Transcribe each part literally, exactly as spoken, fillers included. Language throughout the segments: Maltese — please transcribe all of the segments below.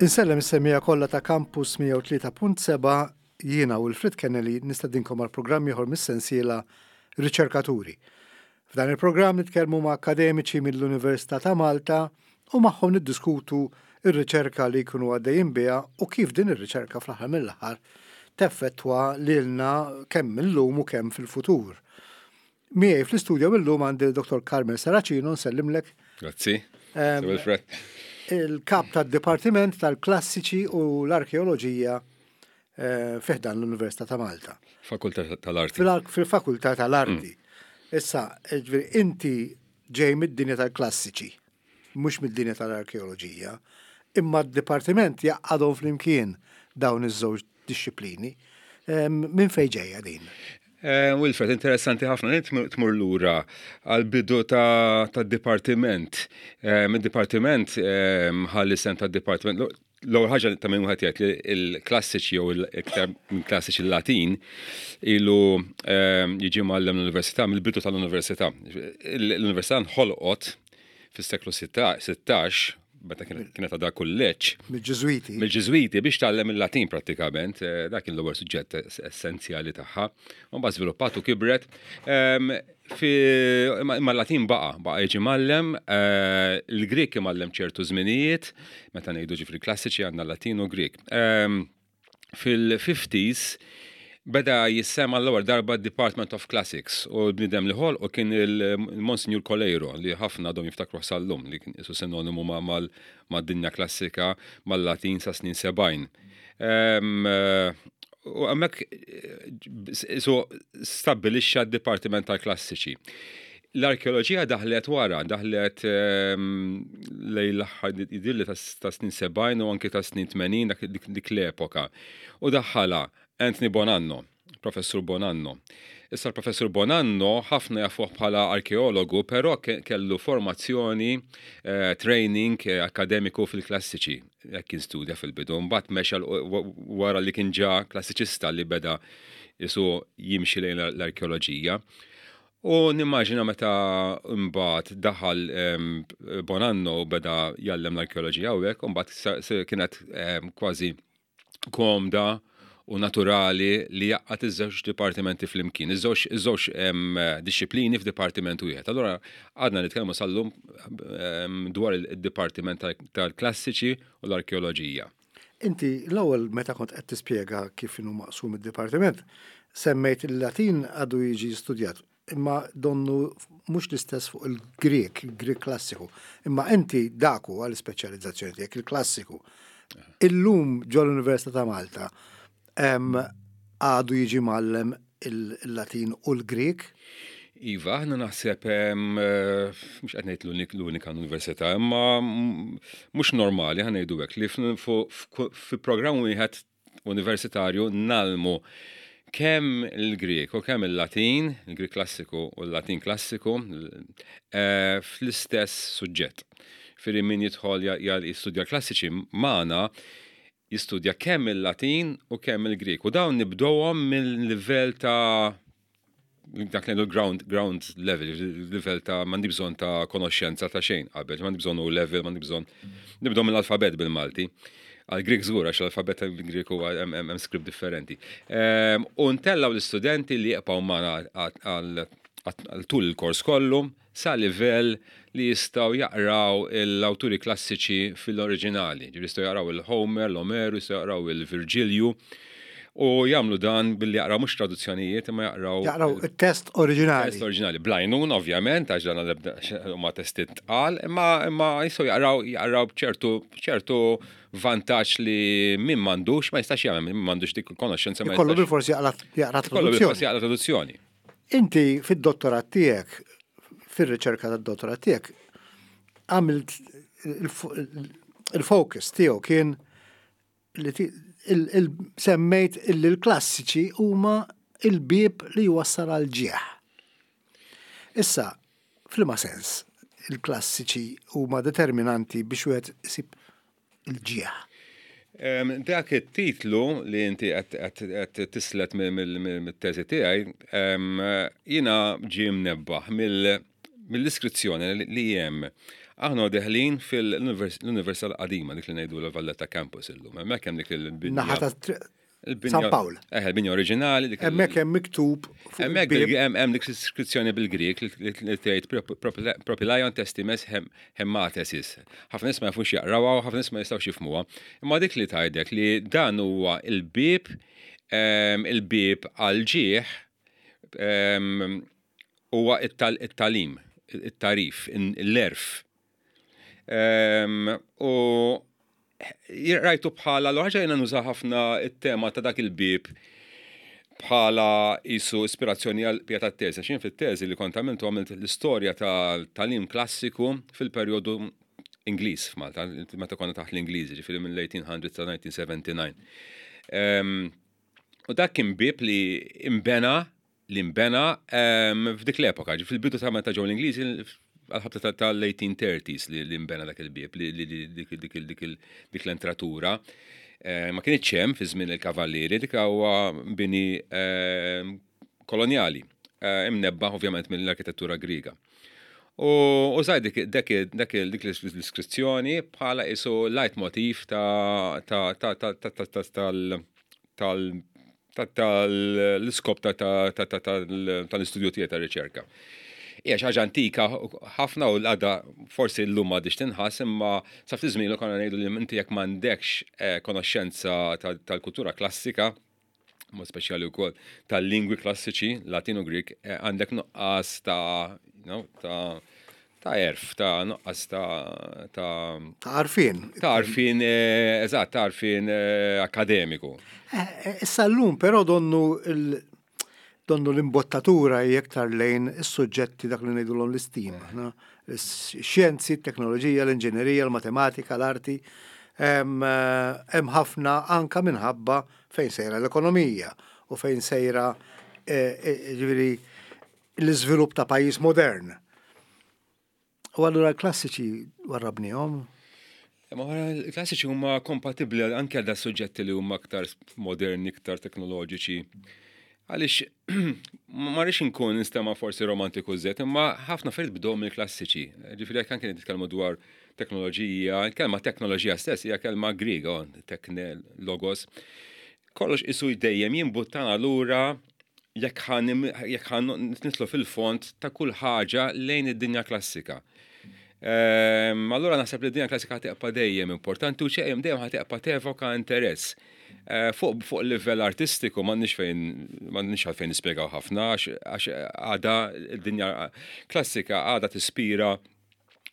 Insellem is-semmiegħa kollha ta' Campus mija u tlieta punt sebgħa. Jiena Wilfred Kennedy nistedinkom għal programm ieħor mis-sensiela Riċerkaturi. F'dan il-programm nitkellmu ma' akademiċi mill-Università ta' Malta u magħhom niddiskutu ir-riċerka li jkunu għaddejjin biha u kif din ir-riċerka fl-aħħar mill-aħħar teffettwa lilna kemm illum u kemm fil-futur. Miegħi fl-istudju illum għandi Dottor Carmel Serracino, nsellimlek. Grazzi. Wilfred. Il-kap tad-Dipartiment tal-Klassiċi u l-Arkeoloġija eh, fi ħdan l-Università ta' Malta. Fakultà tal-Arti. Fil-Fakultà tal-Arti. Mm. Issa, inti ġej mid-dinja tal-klassiċi, mhux mid-dinja tal-arkeoloġija, imma d-dipartiment jgħaqqadhom flimkien dawn iż-żewġ dixxiplini. Minn fejn ġejja din? Eh, Wilfred, interessanti ħafna, tmur lura għal-bidu ta' dipartiment. Eh, Mid-dipartiment ħa l-isem ta' dipartiment. L-ewwel ħaġa ta' minn wieħed jgħid li l-klassiċi jew l-iktar minn klassiċi, l-Latin ilu jiġi mgħallem l-università mill-bidu tal-università. L-università nħolqot fis-seklu sittax, meta kienet għadha kulleġġ. Mill-Ġiżwiti. Mill-Ġiżwiti biex tgħallem il-Latin prattikament, eh, dak kien l-ewwel suġġett essenzjali tagħha. Mbagħad żviluppat u kibret. Imma l-Latin baqa', baqa' jiġi mgħallem, eh, il-Grek imgħallem ċertu żminijiet, meta ngħidu ġifieri klassiċi għandna Latin u Grek. Fil-fifties beda jissema l-ewwel darba Department of Classics u l-bniedem li ħolqu kien il-Monsignor Coleiro, li ħafna għadhom jiftakru sal-lum, li kien isu sinonimu mad-dinja klassika, mal-Latin sa snin sebgħin. U hemmhekk so stabbilixxa d-Dipartiment tal-Klassiċi. L-arkeoloġija daħlet wara, daħlet lejn l-aħħar jidhirli ta' snin sebgħin u anki ta' snin tmenin, dik l-epoka. U daħħala Anthony Bonanno, Professur Bonanno. Issa l-Professur Bonanno ħafna jafuh bħala arkeologu, però kellu formazzjoni, eh, training eh, akademiku fil-klassiċi. Jekk kien studja fil-bidu, mbagħad mexa wara li kien ġa klassiċista li beda jisu jimxi lejn l-arkeoloġija. U nimmaġina meta mbagħad daħal Bonanno u beda jgħallem l-arkeoloġija hawnhekk, u mbagħad kienet kważi komda u naturali li jgħaqqad iż-żewġ dipartimenti flimkien, iż-żewġ iż-żewġ dixxiplini f'dipartiment wieħed. Allura għadna nitkellmu sal-lum dwar il-dipartiment tal-klassiċi u l-arkeoloġija. Inti l-ewwel meta kont qed tispjega kif inhu maqsum id-dipartiment, semmejt il-Latin għadu jiġi studjat, imma donnu mhux l-istess fuq il-Grek, il-Grek klassiku. Imma inti dak huwa l-ispeċjalizzazzjoni tiegħek, il-klassiku. Illum ġol Università ta' Malta għadu jiġi mgħallem il-Latin u l-Grek? Iva, aħna naħseb, eh, mhux qed ngħid l-unika università, imma mhux normali, ħa ngħidu hekk, li fi programm wieħed universitarju ngħallmu kemm il-Grek u kemm il-Latin, il-Grek klassiku u l-Latin klassiku, eh, fl-istess suġġett. Firri min jidħol jistudja klassiċi magħna jistudja kemm il-Latin u kemm il-Grek. U dawn nibdowhom mill-livell ta' dak li ground, ground level, level ta' m'għandi bżonn ta' konoxxenza ta' xejn qabel, m'għandi bżonn U level, m'għandi bżonn nibdew mill-alfabet bil-Malti. Għal-Grek żgur, għax l-alfabet tal-Grek huwa hemm script differenti. Ehm, u ntellaw l-istudenti li jibqgħu magħna għal tul il-kors kollu sa livell li jistgħu jaqraw l-awturi klassiċi fil-oriġinali. Ġifieri jistgħu jaqraw il-Homer, l-Omeru, jistgħu jaqraw il-Virgilju. U jagħmlu dan billi jaqraw mhux traduzzjonijiet, imma jaqraw Jaqraw il-test oriġinali. Test oriġinali. Bl-għajnuna, ovvjament, għax dan għal huma testi tqal, imma imma jistgħu jaqraw jaqraw b'ċertu ċertu vantaġġ li min m'għandux ma jistax jagħmel, min m'għandux dik il-konoxxenza ma Kollu jistax. bil-forsi jaqra jaqra Kollu bil-forsi traduzzjoni. jaqra traduzzjoni. Inti fid-dottorat tiegħek, fir-riċerka tad-dottorat tiegħek, għamilt il-focus tiegħu kien li ti- il- il- semmejt illi l-klassiċi huma il-bib li jwassal għal ġieħ. Issa, f'liema sens, il-klassiċi huma determinanti biex wieħed isib il-ġieħ? Em, Dak it-titlu li inti qed qed tislet mill-teżi tiegħi, em, jiena ġie mnebbaħ mill-iskrizzjoni li hemm Aħna deħlin fil-Università l-qadima, dik li ngħidu l-Valletta Campus illum. Hemmhekk hemm dik il-binja. Naħa ta' San Pawl. Eh, il-binja oriġinali. Hemmhekk hemm miktub. Hemmhekk hemm dik iskrizzjoni bil-Grieg li tgħid "Propylaeon testimes hematesis". Ħafna nies ma jafux jaqrawha u ħafna nies ma jistgħux jifhmuha. Imma dik li tgħidlek li dan huwa il-bib il-bib għal-ġieħ huwa it-tagħlim, it-tagħrif, l-għerf. U rajtu bħala, l-ħaġa jiena nuża ħafna it-tema ta' dak il-bib bħala jisu ispirazzjoni għal pjata teżi. Xin fit-teżi li kont għamiltu, għamilt l-istorja tal-tagħlim klassiku fil-perjodu Ingliż f'Malta, meta konna taħt l-Ingliżi, ġifieri mill-eighteen hundred sa nineteen seventy-nine. U dak kien bib li imbena li imbena f'dik l-epoka, fil-bidu ta' meta ġew l-Ingliżi, għal-ħabta tal-eighteen thirties li imbena dak il-bib, dik l-entratura. Eh, ma kienx hemm fi żmien il-kavallieri, dik huwa bini kolonjali, eh, imnebba ovvjament mill-arkitettura Griega. U użajt dik dik l-iskrizzjoni bħala isu leitmotiv ta' tal tal-iskop tal-istudju tiegħi ta' riċerka. Hija xi ħaġa antika ħafna u l-għada forsi llum m'għadhiex tinħass, imma sa ftit żmien konna ngħidu li inti jekk m'għandekx eh, konoxxenza tal-kultura klassika, mod speċjali wkoll tal-lingwi klassiċi, Latin u Greek, eh, għandek nuqqas ta' ta' ta' għerf, ta' nuqqas ta' ta' Ta' għarfien. Ta' għarfien, eh, eżatt, ta' għarfien akademiku. Issa llum però donnu il- donnu l-imbottatura hija iktar lejn is-suġġetti dak li ngħidulhom l-STEAM. Xjenzi, teknoloġija, l-inġinerija, l-matematika, l-arti. Hemm ħafna anka minħabba fejn sejra l-ekonomija u fejn sejra, eh, eh, ġifieri, l-iżvilupp ta' pajjiż modern. U allura l-klassiċi warrabnihom? Ma l-klassiċi huma kompatibbli anke għal da suġġetti li huma aktar moderni, iktar teknoloġiċi. Għaliex ma rridx inkun nistema forsi romantiku żejjed, imma ħafna affarijiet bdew mill-klassiċi. Ġifieri jekk anke nitkellmu dwar teknoloġija, kelma teknoloġija stess hija kelma Griega, tekne, logos. Kollox isu dejjem jimbuttana lura jekk ħa nidħlu fil-fond ta' kull ħaġa lejn id-dinja klassika. Ehm, allura naħseb li d-dinja klassika ħa tibqa' dejjem importanti u ċejjem dejjem ħa tibqa' tevoka interess. Eh, fuq fuq livell artistiku m'għandniex fejn m'għandniex għalfejn nispjegaw ħafna, għax għada d-dinja klassika għada tispira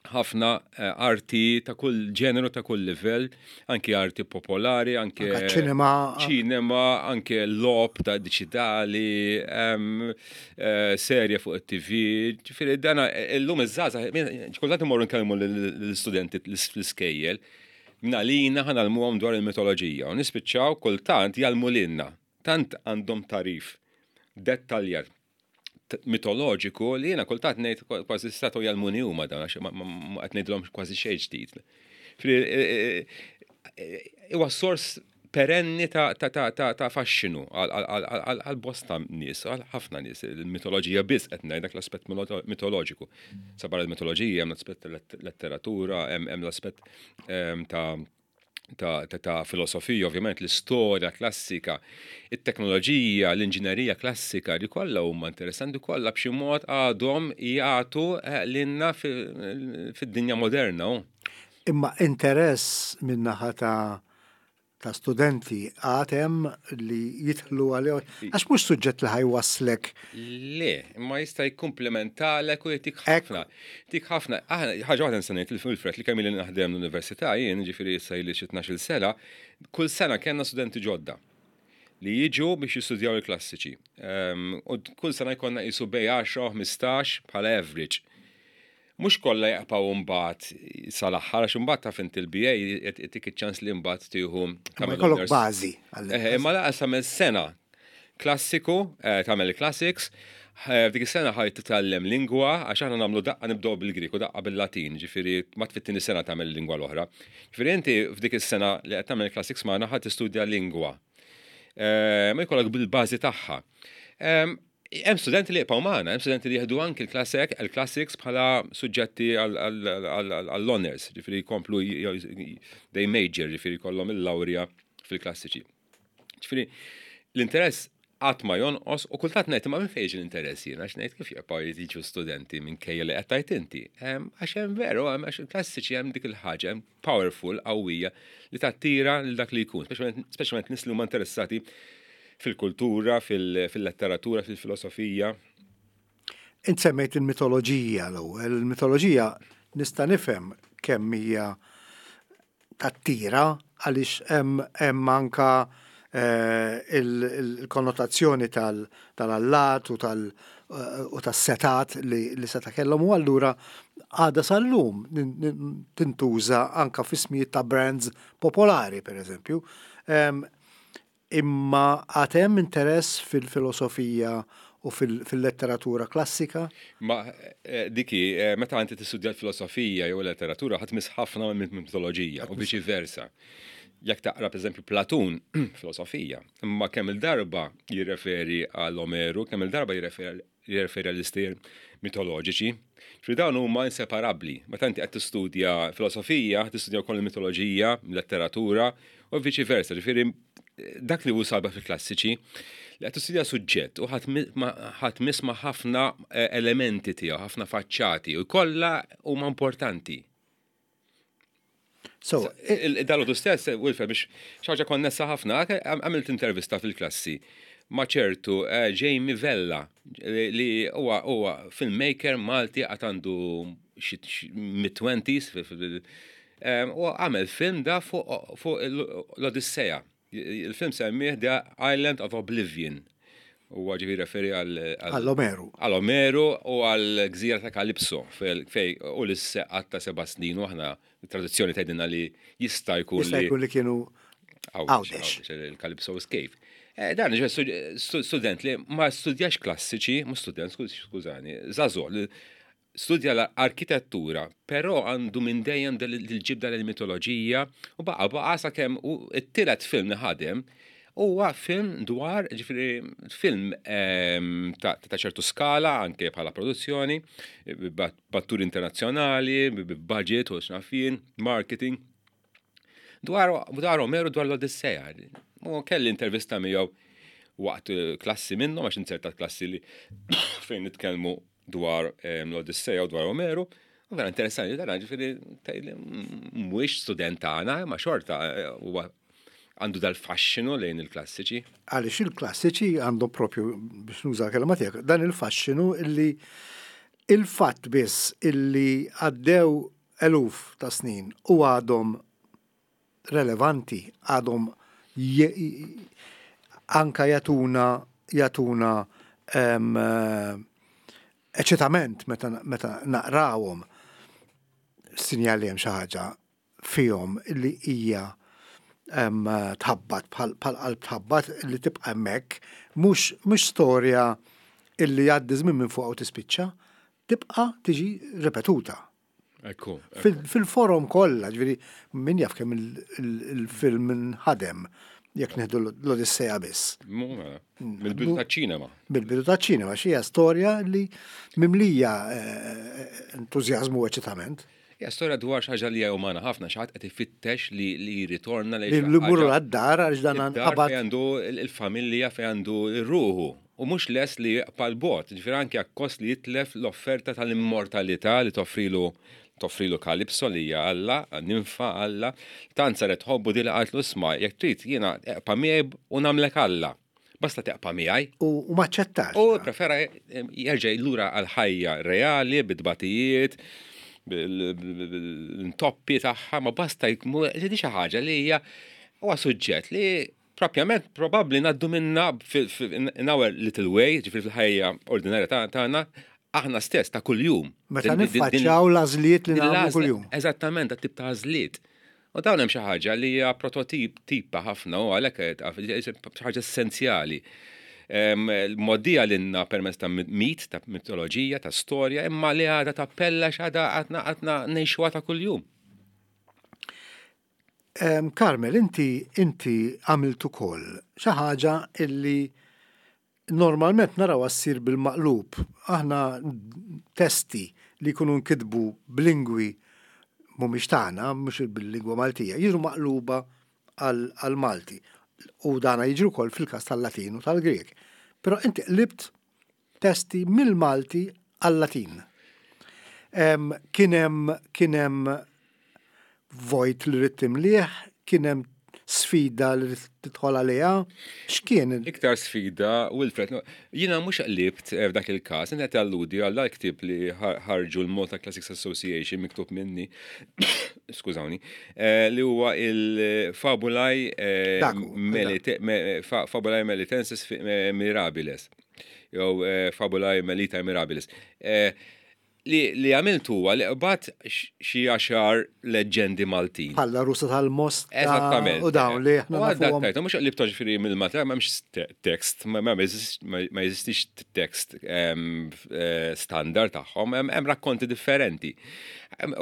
ħafna eh, arti ta' kull ġeneru, ta' kull livell, anki arti popolari, anke ċinema, ċinema, anke logħob ta' diġitali, eh, serje fuq it-T V. Ġifieri dana illum iż-żgħażagħ, kultant imorru nkellmu l-istudenti l-iskejjel, mingħalina ħa ngħallmuhom dwar il-mitoloġija u nispiċċaw kultant jgħallmu lilna. Tant għandhom tagħrif dettaljat mitoloġiku li jiena kultant ngħid kważi setgħu jgħallmuni huma dan, għax ma qed ngħidilhom kważi xejn ġdid. Huwa sors perenni ta' ta' faxxinu għal bosta nies, għal ħafna nies, il-mitoloġija biss qed ngħid, dak l-aspett mitoloġiku. Sabar il-mitoloġija hemm l-aspett letteratura, hemm l-aspett ta' ta', ta, ta filosofija, ovvjament l-istorja klassika, it-teknoloġija, l-inġinerija klassika, li kollha huma interessanti, kollha b'xi mod għadhom jagħtu eh, lilna fid-dinja moderna. Imma interess min-naħa ta' ta' studenti għad hemm li jidħlu għalih? Għax mhux suġġett li ħa jwasslek. Le, imma jista' jikkumplementalek u jtik ħafna. Tik ħafna. Ħaġa waħda nista' ngħid il-Fred li kemm li naħdem l-università jien, ġifieri issa ili xi tnax-il sena, kull sena kellna studenti ġodda li jiġu biex jistudjaw il-klassiċi. Ehm, u kull sena jkollna jisu bejn għaxra u ħmistax bħala average. Mhux kollha jaqpaw mbagħad sal-aħħar, għax imbagħad taf inti l-B A jtik iċ-ċans li mbagħad tieħu Ma jkollok bażi. Eh, imma laqas tagħmel sena klassiku, eh, tagħmel il-classics, eh, f'dik is-sena ħa titgħallem lingwa, għax aħna nagħmlu daqqa nibdew bil-Grik u daqqa bil-Latin, ġifieri ma fit-tieni sena tagħmel il-lingwa l-oħra. Ġifieri inti f'dik is-sena li qed tagħmel classics magħna ħa tistudja lingwa. Ma jkollok bil-bażi tagħha. Hemm studenti li jibqgħu magħna, hemm studenti li jieħdu anki l-classic, il-classics bħala suġġetti għall-honors, ġifieri jkomplu they major, ġifieri jkollhom il-lawrja fil-klassiċi. Ġifieri l-interess qatt ma jonqos u kultant ngħid ma minn fejn l-interess jiena għax ngħid kif jibqgħu jiġu studenti minkejja li qed tgħid inti. Għax hemm veru, għax il-klassiċi hemm dik il-ħaġa, hemm powerful, qawwija li tattira lil dak li jkun, speċjalment nies li huma interessati fil-kultura, fil-letteratura, fil-filosofija. Int semmejt il-mitoloġija l-ewwel. Il-mitoloġija nista' nifhem kemm hija tattira għaliex hemm anka eh, il-konnotazzjoni tal-allat u tal- u tas-setat li seta' kellhom u allura għada sal-lum tintuża anka f'ismijiet ta' brands popolari, per eżempju. Imma għad hemm interess fil-filosofija u fil-letteratura klassika? Ma eh, diki, eh, meta inti tistudja l-filosofija jew l-letteratura ħa tmiss ħafna minn mitoloġija u viċi versa. Jekk taqra pereżempju Platun, filosofija, imma kemm il-darba jirreferi għal Omeru, kemm il-darba jirreferi għall istejjer mitoloġiċi. Fi dawn huma inseparabbli. Meta inti qed tistudja filosofija, tistudja wkoll il-mitoloġija, letteratura u viċi versa. Ġifieri dak li hu sabiħ fil-klassiċi li qed tistudja suġġett u ħa tmiss ma' ħafna eh, elementi tiegħu, ħafna faċċati u kollha huma importanti. So, Dal-għodu stess, Wilfred, biex xi ħaġa konnessa ħafna, għamilt intervista fil-klassi ma' ċertu eh, Jamie Vella li huwa huwa filmmaker Malti għad għandu mid-twenties u għamel film da fuq l-Odisseja. Il-film semmih The Island of Oblivion. U ġifieri referi għal Għall-Omeru. Għal Omeru u għal gżira ta' Kalipso fej Ulisse qatta' seba' snin u aħna tradizzjoni tgħidilna li jista' jkun Jista' jkun li kienu Għawdex. Il-Calypso's Cave. Eh, dan student li ma studjax klassiċi, mhux student, skużani, żagħżugħ, studja l-arkitettura, però għandu minn dejjem dil-ġibda l-mitoloġija u baqa baqa sakemm u t-tielet film li ħadem huwa film dwar, ġifieri, film ehm, ta' ċertu skala anke bħala produzzjoni, b'atturi internazzjonali, budget u x'naf jien, marketing. Dwar, dwar Omeru dwar l-Odisseja. U kelli intervista miegħu waqt klassi minnhom għax inzertat klassi li fejn nitkellmu dwar ehm, l-Odisseja u dwar Omeru. U vera interessanti, dan ġifieri mhuwiex student tagħna, ma xorta eh, huwa għandu dal-fasċinu lejn il-klassiċi. Għaliex il-klassiċi għandhom propju, biex nuża kelma tiegħek, dan il-fasċinu illi il-fatt biss illi għaddew eluf ta' snin u għadhom relevanti, għadhom anka jagħtuna jagħtuna eċitament meta, meta naqrawhom sinjali hemm xi ħaġa fihom li hija tħabbat bħal qalb tħabbat li tibqa' hemmhekk mhux mhux storja illi jgħaddi żmien minn fuq u tispiċċa, tibqa' tiġi ripetuta. Ekku. Fil-forom kollha, ġifieri min jaf kemm il-film nħadem jekk nieħdu l-Odissea biss. Mela, mill-bidu taċ-ċinema. Mill-bidu taċ-ċinema, xi storja li mimlija eh, entużjażmu u eċitament. Ja, storja dwar xi ħaġa li hija umana ħafna, xi ħadd qed ifittex li li jirritorna lejn. Li mmurru għad-dar għax dan qabad. Fejn għandu il-familja fejn għandu r-ruħu. U mhux les li jaqpa' l-bot, ġifieri anke akkost li jitlef l-offerta tal-immortalità li toffrilu toffrilu Kalipso li hija Alla, ninfa Alla, tant saret tħobbu di li qaltlu isma' jekk trid jiena eqpa' miegħi u nagħmlek Alla. Basta teqpa' miegħi. U ma ċettax. U prefera jerġa' lura għal ħajja reali bit-tbatijiet, bil-intoppi tagħha, ma basta jkun xi ħaġa li hija huwa suġġett li propjament probabbli ngħaddu minna in our little way, ġifieri fil-ħajja ordinarja tagħna, aħna stess ta' kuljum. Meta niffaċċjaw l-għażliet li nagħmlu kuljum. Eżattament, dat tip ta' għażliet. U dawn hemm xi ħaġa li hija prototip tipa ħafna u għalhekk xi ħaġa essenzjali. Moddija lilna permezz ta' mit, ta' mitoloġija, ta' storja, imma li għadha tappella x'għadha għadna għadna ngħixuha ta' kuljum. Carmel, inti inti għamilt ukoll xi ħaġa illi Normalment naraw ssir bil-maqlub. Aħna testi li jkunu nkitbu b'lingwi mhumiex tagħna, mhux bil-lingwa Maltija, jiġu maqluba għal-Malti. U dana jiġri wkoll fil-każ tal-Latin u tal-Grek. Però inti qlibt testi mill-Malti għal-Latin. Kien hemm kien hemm vojt li ridt timlieh, kien hemm sfida li tidħol għaliha, x'kien? Iktar sfida, Wilfred, jiena mhux qlibt eh, f'dak il-każ, inti qed alludi għal ktieb li ħarġu l-Malta Classics Association miktub minni, skużawni, eh, li huwa il-Fabulae eh, Fabulae Melitensis Mirabiles, jew Fabulae Melitae Mirabilis li li għamilt huwa li qbadt xi għaxar leġġendi Maltin. Bħala Rusa tal-Most. Eżattament. U dawn li aħna nafuhom. Mhux qlibtu ġifieri mill-Malti, m'hemmx tekst, ma jeżistix tekst eh, standard tagħhom, hemm rakkonti differenti.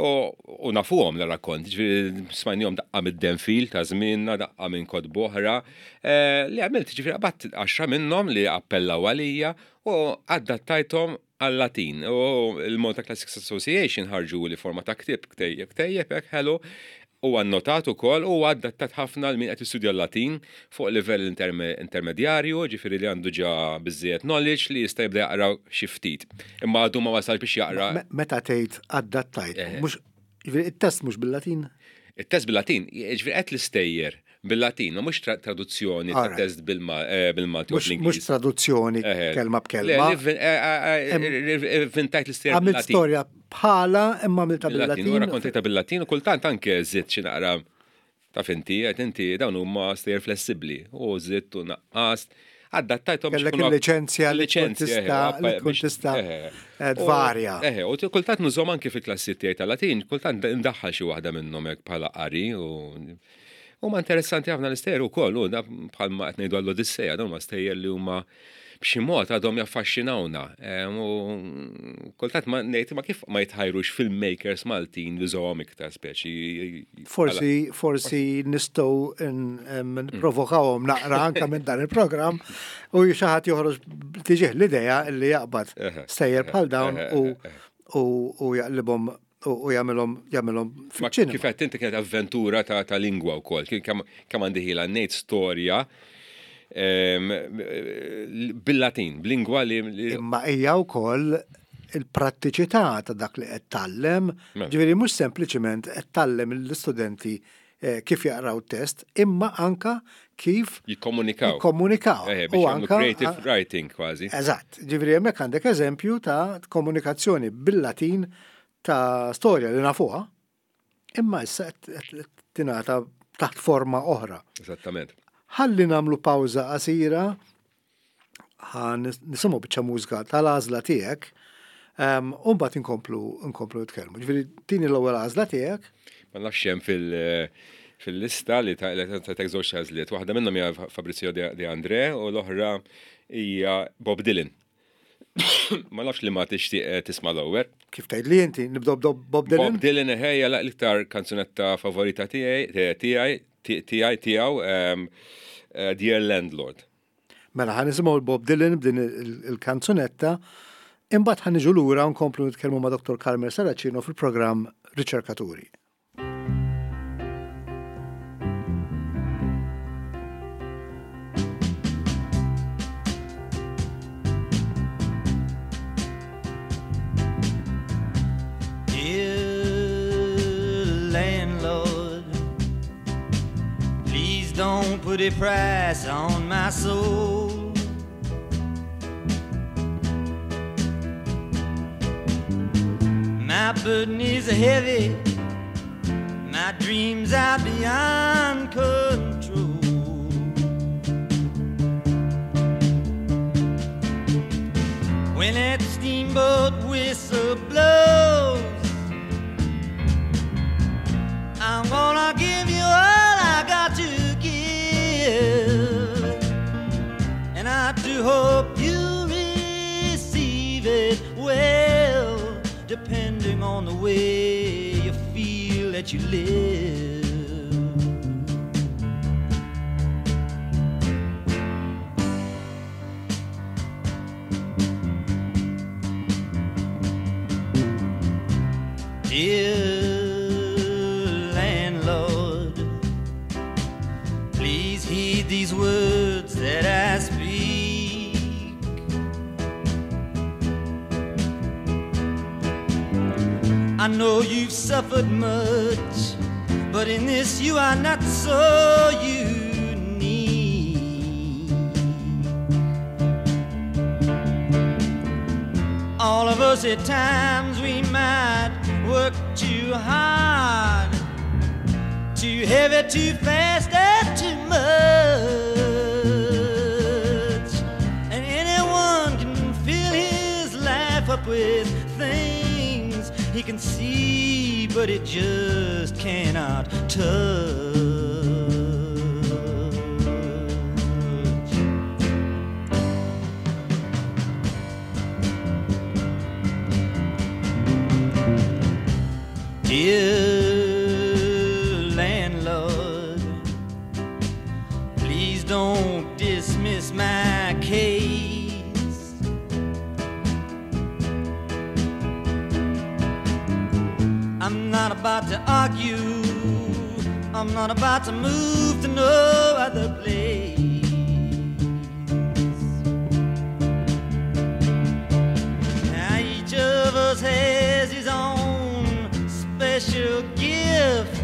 U nafuhom l-rakkonti, ġifieri smajnihom daqqa mid-Denfil ta' żmienna, daqqa minn kotba oħra, eh, li għamilt ġifieri qbadt għaxra minnhom li appellaw għalija u adattajthom għal-Latin. U il-Malta Classics Association ħarġu li forma ta' ktib, ktejjeb, ktejjeb, hekk ħelu, u annotat ukoll u adattat ħafna l min qed jistudja l-Latin fuq livell intermedjarju, ġifieri li għandu ġa biżżejjed knowledge li jista' jibda jaqra xi ftit. Imma għadu ma wasal biex jaqra. Meta tgħid adattajt, mhux it-test mhux bil-Latin? Il-test bil-Latin, ġifieri qed l-istejjer bil-Latin, ma mhux traduzzjoni ta' test bil-Malti u Mhux traduzzjoni kelma b'kelma. Inventajt l-istejjer. Għamilt storja bħala imma għamilta bil-Latin. U rakkontajta bil-Latin u kultant anke żidt xi naqra ta' finti, qed inti dawn huma stejjer flessibbli u żidt u naqqast. Adattajthom. Kellek il-liċenzja li tista' li tkun tista' tvarja. Eħe, u kultant nużhom anke fil-klassi tiegħi tal-Latin, kultant ndaħħal xi waħda minnhom hekk bħala qari u huma interessanti ħafna l-istejjer ukoll, u bħalma qed ngħidu għall-Odissea, dawn huma stejjer li huma b'xi mod għadhom jaffaxxinawna. U kultant ma ngħid ma kif ma jitħajrux filmmakers Maltin jużawhom iktar speċi. Forsi forsi nistgħu nipprovokawhom naqra anke minn dan il-programm u xi ħadd joħroġ tiġih l-idea li jaqbad stejjer bħal dawn u jaqlibhom u jagħmilhom jagħmilhom fiċ-ċinema. Kif qed inti kienet avventura ta' ta' lingwa wkoll, kien kemm għandi ħila ngħid storja bil-Latin, b'lingwa li. Imma hija wkoll il-prattiċità ta' dak li qed tgħallem, ġifieri mhux sempliċiment qed tgħallem l-istudenti kif jaqraw test, imma anka kif jikkomunikaw. Jikkomunikaw. U anka creative writing kważi. Eżatt, ġifieri hemmhekk għandek eżempju ta' komunikazzjoni bil-Latin ta' storja li nafuha, imma issa qed tingħata taħt forma oħra. Eżattament. Ħalli nagħmlu pawża qasira, ħa nisimgħu biċċa mużika tal-għażla tiegħek, u mbagħad inkomplu nkomplu nitkellmu. Ġifieri tini l-ewwel għażla tiegħek. Ma nafx hemm fil- fil-lista li ta' ta' żewġ għażliet. Waħda minnhom hija Fabrizio De André u l-oħra hija Bob Dylan. Ma nafx li ma tixtieq tisma' l-ewwel. Kif tgħid li inti nibdew Bob Dylan? Bob Dylan ħejja l-iktar kanzunetta favorita tiegħi tiegħi tiegħi tiegħu Dear Landlord. Mela ħa nisimgħu Bob Dylan b'din il-kanzunetta, imbagħad ħa niġu lura nkomplu nitkellmu ma' Dottor Carmel Serracino fil-programm Riċerkaturi. Don't put a price on my soul. My burden is heavy, my dreams are beyond control. When that steamboat whistle blows, I'm gonna give you all I got to give, and I do hope you receive it well, depending on the way you feel that you live. Dear landlord, please heed these words that I speak. I know you've suffered much, but in this you are not so unique. All of us at times we might work too hard, too heavy, too fast, and too much. And anyone can fill his life up with things he can see, but it just cannot touch. Dear landlord, please don't dismiss my case. I'm not about to argue, I'm not about to move to no other place. Now each of us has his own special gift,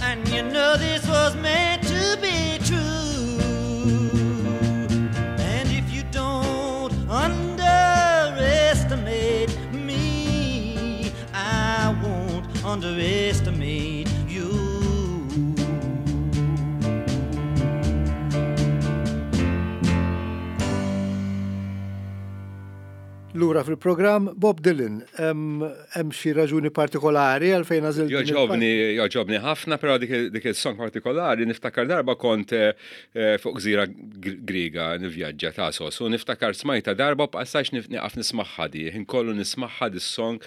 and you know this was meant to be true. And if you don't underestimate me, I won't underestimate you. Lura fil-programm Bob Dylan, hemm xi raġuni partikolari għalfejn għażilt din il- Jogħġobni, jogħġobni ħafna, però dik, dik il-song partikolari niftakar darba kont eh, fuq gżira Griega nivvjaġġa ta' sos, u niftakar smajta darba bqassax nieqaf nismagħha di, ħin kollu nismagħha dis-song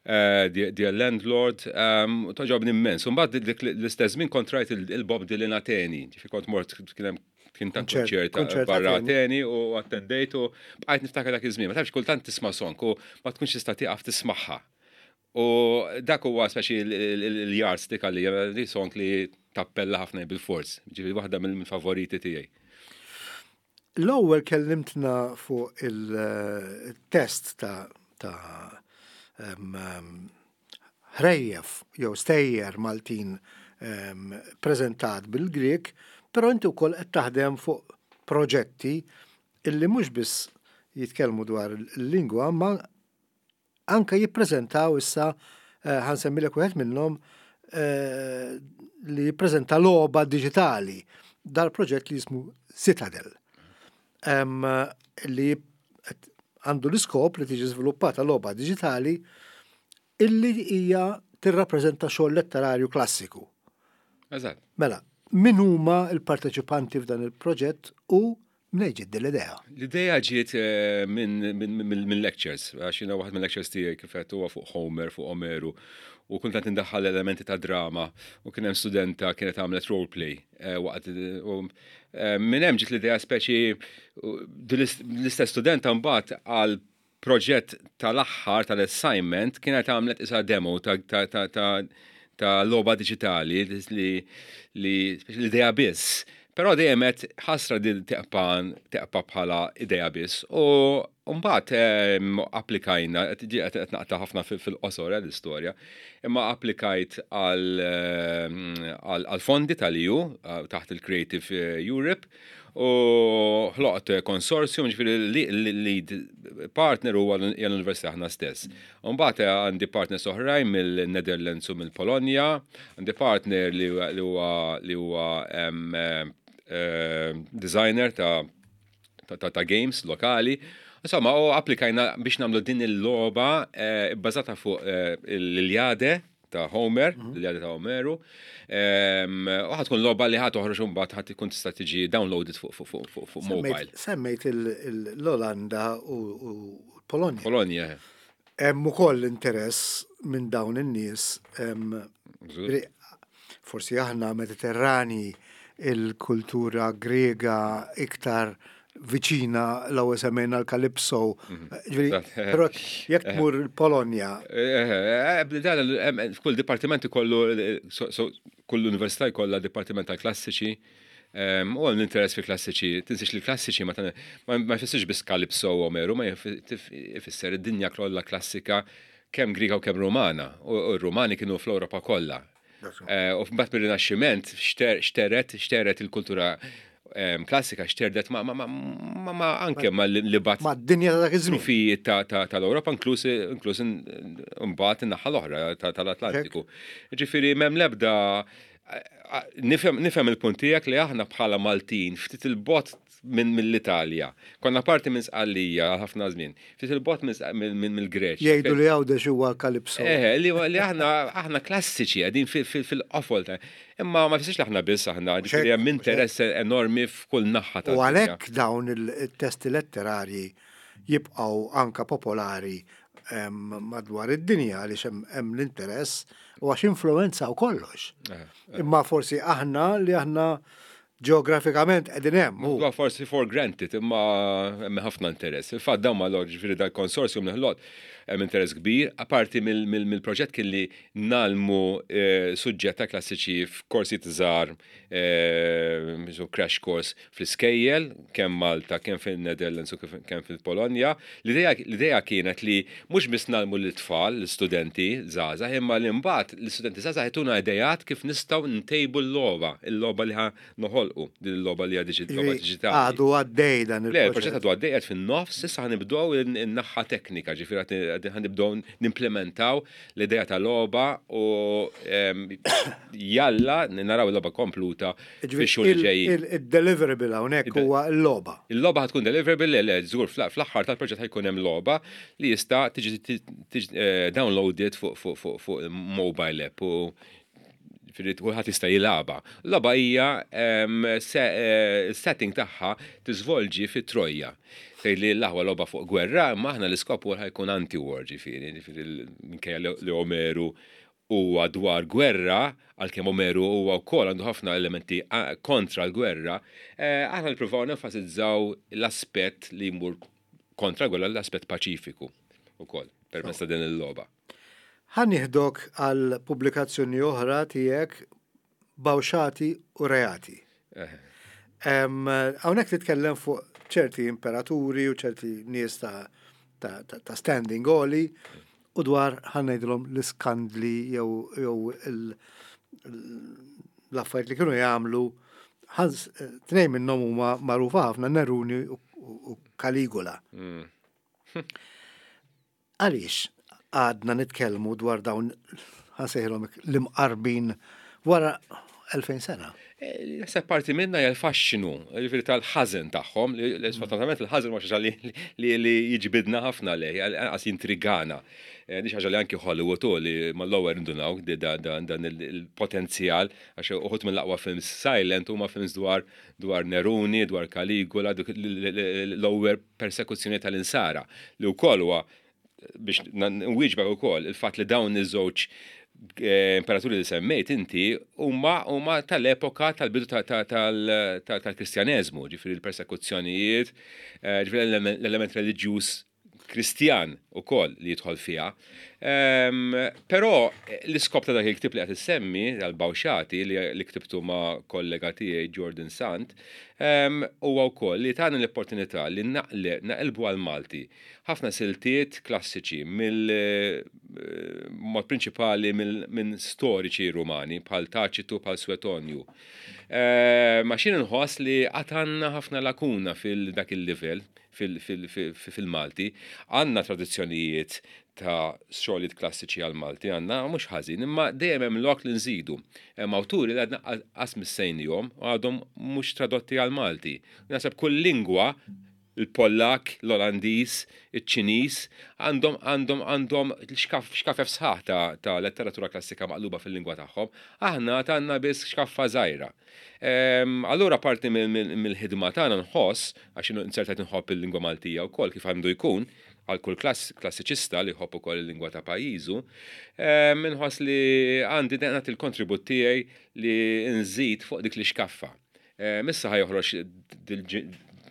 eh, The Landlord, um, togħġobni immens. U mbagħad dik l-istess żmien kont rajt il-Bob Dylan Ateni, ġifieri kont mort kien hemm kien ta' Konċert- konċert konċert barra Ateni. Ateni u attendejt u bqajt niftakar dak iż-żmien. Ma tafx kultant tisma' song u ma tkunx tista' tieqaf tismagħha. U dak huwa speċi l-yardstick għalija, di song li tappella ħafna bil-fors, ġifieri waħda mill-favoriti tiegħi. L-ewwel kellimtna fuq il-test ta' ta' em, em, ħrejjef jew stejjer Maltin em, preżentat bil-Grek, però inti wkoll qed taħdem fuq proġetti illi mhux biss jitkellmu dwar il-lingwa, ma anka jippreżentaw issa eh, ħa nsemmilek wieħed minnhom eh, li jippreżenta logħba diġitali dal-proġett li jismu Citadel. Em, li qed- għandu l-iskop li tiġi żviluppata logħba diġitali illi hija tirrappreżenta xogħol letterarju klassiku. Eżatt. Mela, min huma l-parteċipanti f'dan il-proġett u minn ġiet din l-idea? L-ideja ġiet eh, minn min, min, min lectures, għax jiena waħed minn lectures tiegħi kif qed huwa fuq Homer, fuq Omeru, u kultant indaħħal elementi ta' drama, u kien hemm studenta kienet għamlet roleplay eh, waqt u eh, minn hemm ġiet l-idea speċi u din l-istess studenta mbagħad għal proġett tal-aħħar tal-assignment kienet għamlet isa demo ta' ta' ta' ta' ta' logħba diġitali li li l-idea biss. Però dejjem qed ħasra din teqpa teqpa bħala idea biss. U mbagħad em, applikajna, qed qed qed naqta' ħafna fil- fil-qosor eh, l-istorja, imma applikajt għal em, għal għal fondi tal-E U eh, taħt il-Creative Europe u ħloqt konsorzjum, ġifieri l-lead partner huwa l-Università aħna stess. Mbagħad għandi partners oħrajn mill-Netherlands u mill-Polonja, għandi partner li huwa li huwa li huwa em, eh, designer ta' ta', ta, ta games lokali. Insomma, u applikajna biex nagħmlu din il-logħba eh, bbażata fuq eh, l-Iliade ta' Homer, l-Iliade ta' Omeru. Em, U ħa tkun logħba li ħa toħroġ mbagħad ħa tkun tista' tiġi downloaded fuq fuq fuq fuq fuq mobile. Semmejt il- il- l-Olanda u u Polonja. Polonja. Hemm ukoll interess minn dawn in-nies em, Żgur. Forsi aħna Mediterrani, il-kultura Grega iktar Viċina l-ewwel semmejna l-Kalipso. Ġifieri, però jekk tmur il-Polonja. F'kull dipartiment ikollu, kull università jkollha dipartiment tal-klassiċi. U għal interess fi klassiċi, tinsiex li klassiċi ma ma jfissirx biss Kalipso u Omeru, ma jfisser id-dinja kollha klassika, kemm Griega u kemm Romana. U r-Romani kienu fl-Ewropa kollha. U mbagħad mir-Rinaxximent xteret xteret il-kultura klassika, xterdet ma, ma, ma, ma anke ma li bat Ma d-dinja ta' dak iż-żmien. Tal-Ewropa, inkluż inkluż imbagħad in-naħa l-oħra tal-Atlantiku. Ġifieri m'hemm l-ebda, nifhem nifhem il-punt tiegħek li aħna bħala Maltin ftit il-bogħod minn mill-Italja. Konna parti minn Sqallija ħafna żmien. Ftit il-bogħod minn mill-Greċja. Jgħidu li Għawdex huwa Kalipso. Eh, li li aħna aħna klassiċi qegħdin fil-qofol. Imma ma jfissirx li aħna biss aħna, ġifieri hemm interess enormi f'kull naħa ta'. U għalhekk dawn il-testi letterarji jibqgħu anka popolari madwar id-dinja, għaliex hemm l-interess u għax influenzaw kollox. Eh, eh. Imma forsi aħna li aħna ġeografikament qegħdin hemm. Huwa forsi for granted, imma hemm ħafna interess. Il-fatt dawn ma ġifieri dal-konsorzjum li ħloqt, hemm interess kbir, apparti mill-proġett kien li ngħallmu eh, suġġett ta' klassiċi f'korsi żgħar, eh, crash course fl-iskejjel, kemm Malta, kemm fil-Netherlands u kemm fil-Polonja. L-idea kienet li mhux biss ngħallmu l-tfal, l-istudenti żgħażagħ, imma li mbagħad l-istudenti żgħażagħ jtuna idejat kif nistgħu ntejbu l-logħba, il-logħba li ħa noħolqu, din il-logħba li hija diġitali. Għadu għaddej dan il-proġett? Le, il-proġett għadu għaddej, qed fin-nofs, issa ħa nibdew in-naħa teknika, ġifieri ħa nibdew nimplementaw l-idea tal-logħba u jalla naraw il-logħba kompluta fix-xhur li ġejjin. Il-deliverable hawnhekk huwa l-logħba. Il-logħba ħa tkun deliverable, le, żgur, fl-aħħar tal-proġett ħa jkun hemm logħba li jista' tiġi eh, downloaded fuq mobile app u kulħadd jista' jilgħabha. L-logħba hija eh, setting tagħha tiżvolġi fi Trojja. Tgħid li l-aħwa logħba fuq gwerra, imma aħna l-iskop huwa jkun anti-war, ġifieri, ġifieri minkejja li Omeru huwa dwar gwerra, għalkemm Omeru huwa wkoll għandu ħafna elementi kontra l-gwerra, eh, aħna nippruvaw nenfasizzaw l-aspett li jmur kontra l-gwerra, l-aspett paċifiku ukoll permezz ta' din il-logħba. Ħa nieħdok għal pubblikazzjoni oħra tiegħek, Bawxati u Reati. Hawnhekk titkellem fuq ċerti imperaturi u ċerti nies ta', ta, ta, ta standing għoli u dwar, ħa ngħidilhom, l-iskandli jew jew l-affarijiet li kienu jagħmlu. Tnejn minnhom huma magħrufa ħafna, Neruni u Caligula. Mm. Għaliex għadna nitkellmu dwar dawn, ħa nsejħilhom, l-imqarbin wara elfejn sena? Naħseb parti minna hija l-faxxinu, ġifieri tal-ħażen tagħhom, li sfortunatament il-ħażen ma xi li li jiġbidna ħafna lej, għas jintrigana. Eh, di ħaġa li anki Hollywood u li mal-ewwel indunaw dan il-potenzjal, għax uħud mill-aqwa films silent huma films dwar dwar Neruni, dwar Caligula, l-ewwel persekuzzjoni tal-insara, li wkoll huwa biex nwieġbek ukoll il-fatt li dawn iż-żewġ eh, imperaturi li semmejt inti huma huma tal-epoka tal-bidu tal-Kristjaneżmu, ġifieri l-persekuzzjonijiet, eh, ġifieri l-element reliġjuż Kristjan ukoll li jidħol fiha. Ehm, però l-iskop ta' dak il-ktib li qed issemmi, tal-Bawxati, li ktibtu ma' kollega tiegħi Jordan Sant, ehm, huwa wkoll li tagħna l-opportunità li naqilbu għal-Malti ħafna siltiet klassiċi mill eh, mod prinċipali minn storiċi Rumani bħal Taċitu, bħal Suetonju. Eh, ma xin nħoss li għatanna ħafna lakuna fil-dak il-livell fil-Malti. Għandna tradizzjonijiet ta' xogħlijiet klassiċi għal-Malti, għandna mhux ħażin, imma dejjem hemm lok li nżidu. Hemm awturi li għadna qas missejnihom u għadhom mhux tradotti għal-Malti. Naħseb kull lingwa, il-Pollak, l-Olandiż, iċ-Ċiniż, għandhom għandhom għandhom xkafef sħaħ ta', ta letteratura klassika maqluba fil-lingwa tagħhom. Aħna għandna biss xkaffa żgħira. Allura parti mill-ħidma tagħna nħoss, għax insertajt nħobb il-lingwa Maltija wkoll, kif għandu jkun għal kull klassiċista li jħobb ukoll il-lingwa ta' pajjiżu, nħoss li għandi nagħti il-kontribut tiegħi li nżid fuq dik li xkaffa. Issa ħa joħroġ,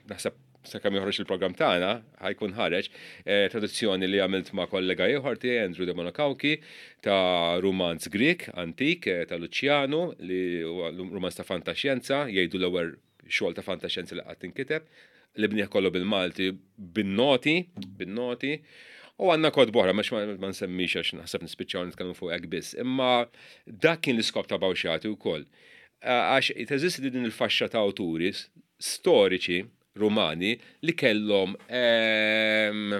naħseb. sakemm joħroġ il-programm tagħna ħa jkun ħareġ eh, traduzzjoni li għamilt ma' kollega ieħor tiegħi, Andrew De Monocauchi, ta' rumanz Grek antik eh, ta' Luciano, li huwa rumanz ta' fantaxjenza, jgħidu l-ewwel xogħol ta' fantaxjenza li qatt inkiteb, li qrajnieh kollu bil-Malti bin-noti, bin-noti. U għandna kotba oħra, mhux ma ma nsemmix għax naħseb nispiċċaw nitkellmu fuq hekk biss. Imma dak kien l-iskop ta' Bawxati wkoll. Għax teżisti din il-faxxa ta' awturi storiċi Rumani li kellhom ehm,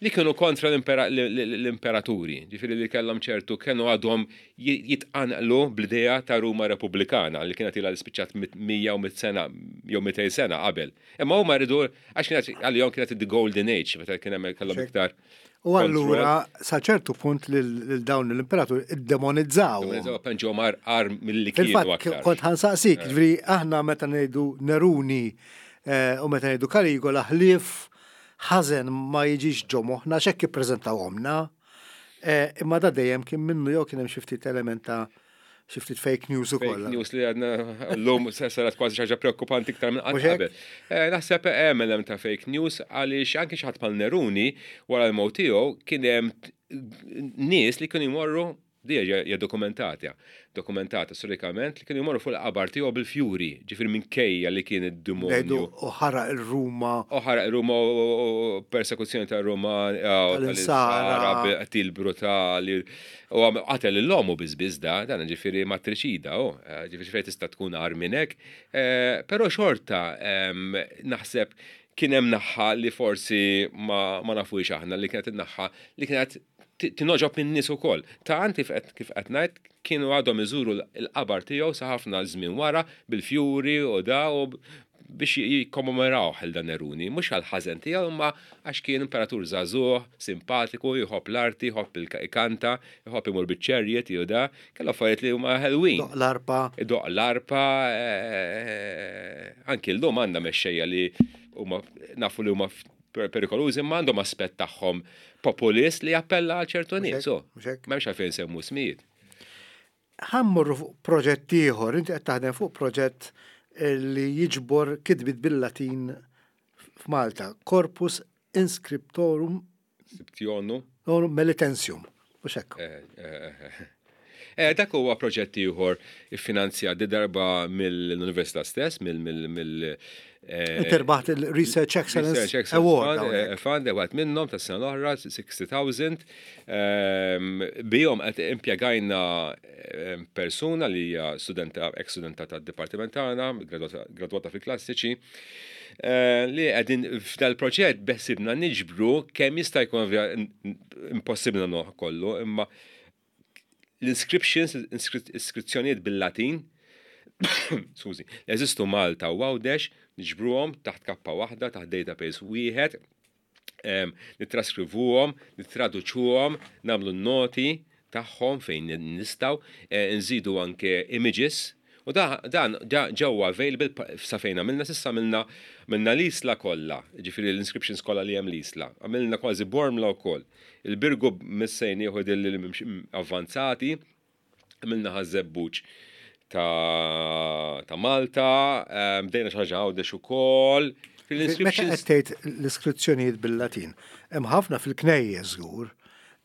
li kienu kontra l-impera- l-imperaturi, ġifieri li kellhom ċertu, kienu għadhom jitqanqlu bl-idea ta' Ruma Repubblikana li kienet ilha li spiċċat mija u mit sena jew mitejn sena qabel. Imma huma rridu, għax kienet għalihom kienet the golden age, meta kien hemm kellhom iktar. U allura sa ċertu punt lil dawn l-imperatur iddemonizzaw. Demonizzaw, penġew mar ar milli kienu Fil-fatt aktar. kont ħa nsaqsik, ġifieri aħna meta ngħidu Neruni eh, u meta ngħidu Kaligola, ħlief ħażen ma jiġix ġo moħħna x'hekk ippreżentawhomna. Eh, Imma da dejjem kien minnu jew kien hemm xi ftit element ta' xi ftit fake news ukoll? Fake news li għadna l-lum saret kważi xi ħaġa preokkupanti iktar minn qatt Mhux hekk? qabel. Eh, Naħseb hemm element ta' fake news, għaliex anke xi ħadd bħal Neruni, wara l-mewt tiegħu kien hemm nies li kienu jmorru, di hija dokumentata, dokumentata storikament, li kienu jmorru fuq il-qabar tiegħu bil-fjuri, ġifieri minkejja li kien id-demonju. Ngħidu u ħaraq il-Ruma. U ħaraq Ruma u persekuzzjoni ta' Ruma, Tal-Insara. Qtil brutali. U għam- qatel l-omu bizbiz da, dan ġifieri matriċida, u ġifieri fejn tista' tkun agħar minn hekk. Eh, Però xorta em, naħseb kien hemm naħa li forsi ma, ma nafux aħna, li kienet in-naħa li kienet ti- tingħoġob minn nies ukoll. Ta' anti kif qed ngħid, kienu għadhom iżuru l-qabar tiegħu sa ħafna żmien wara bil-fjuri u da u biex jikkommemorawh il dan Neruni, mhux għal ħażen tiegħu, imma għax kien imperatur żagħżugħ, simpatiku, jħobb l-arti, jħobb il-kanta, jħobb imur biċ-chariot jew da, kellu affarijiet li huma ħelwin. Doq l-arpa. Doq l-arpa, eh, anki l-lum għandna mexxejja li huma nafu li huma per- perikolużi, imma għandhom aspett tagħhom populist li jappella għal ċertu nies. So, Mhux hekk? m'hemmx għalfejn semmu smijiet. Ħa mmorru fuq proġett ieħor, inti qed taħdem fuq proġett li jiġbor kitbiet bil-Latin f'Malta, Corpus Inscriptorum Siptionu. Melitensium. Mhux hekk? Eh, eh, eh. Eh, dak huwa proġett ieħor iffinanzjat di darba mill-Università stess, mill mill mill eh, Inti rbaħt il-Research Excellence Research Excellence Award Fund, hawnhekk. eh, Fund, għat minnhom ta' sena l-oħra, sittaw sittin elf. Ehm, Bihom qed impjegajna ehm, persuna li hija studenta, ex-studenta tad-dipartiment tagħna, gradwata- gradwata fil-klassiċi, eh, li qegħdin f'dal proġett beħsibna niġbru kemm jista' jkun, ovvja impossibbli nagħmluh kollu, imma l-inscriptions, iskrizzjonijiet bil-Latin, skużi, jeżistu Malta u Għawdex, niġbruhom taħt kappa waħda, taħt database wieħed, em, nitraskrivuhom, nitraduċuhom, nagħmlu noti tagħhom fejn nistgħu, eh, nżidu anke images. U da, dan ġa- ġewwa available pa- sa fejn għamilna s'issa, għamilna minna l-Isla kollha, ġifieri l-inscriptions kollha li hemm l-Isla. Għamilna kważi Bormla wkoll. Il-Birgu missejn jieħu li avvanzati, għamilna Ħaż-Żebbuġ ta', ta' Malta, eh, bdejna xi ħaġa Għawdex ukoll. Meta L-inscriptions qed tgħid l-iskrizzjonijiet bil-Latin, hemm ħafna fil-knejjes żgur.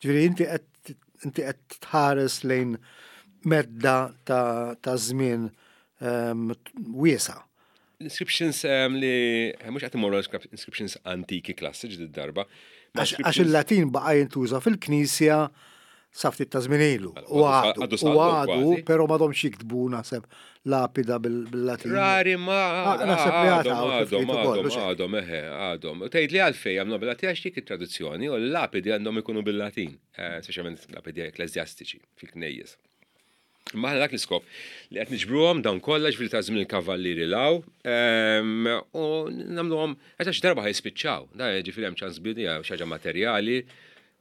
Ġifieri inti qed inti qed tħares lejn medda ta' ta' żmien ehm, wiesa. L-inscriptions um, li mhux qed imorru inscriptions antiki klassiċi d-darba. Ma Għax għax il-Latin baqa' jintuża fil-Knisja sa ftit ta' żmien ilu. U Għadu- għadu, għadu u saqdu għadu, kważi. però m'għadhomx jiktbu naħseb lapida bil- bil-Latin. Rari ma Ah, naħseb li għadhom, għadhom, għadhom, ftit ukoll, għadhom, mhux hekk? għadhom, eħe, għadhom. U tgħid li għalfejn għamlu bil-Latin? Għax dik it-traduzzjoni u l-lapidi għandhom ikunu bil-Latin, eh, speċjalment lapidi ekkleżjastiċi fil-knejjes. Ma aħna dak l-iskop li qed niġbruhom dawn kollha, ġifieri ta' żmien il-kavallieri law, ehm, u nagħmluhom għax darba ħa jispiċċaw. Da ġifieri hemm ċans bidi xi ħaġa materjali,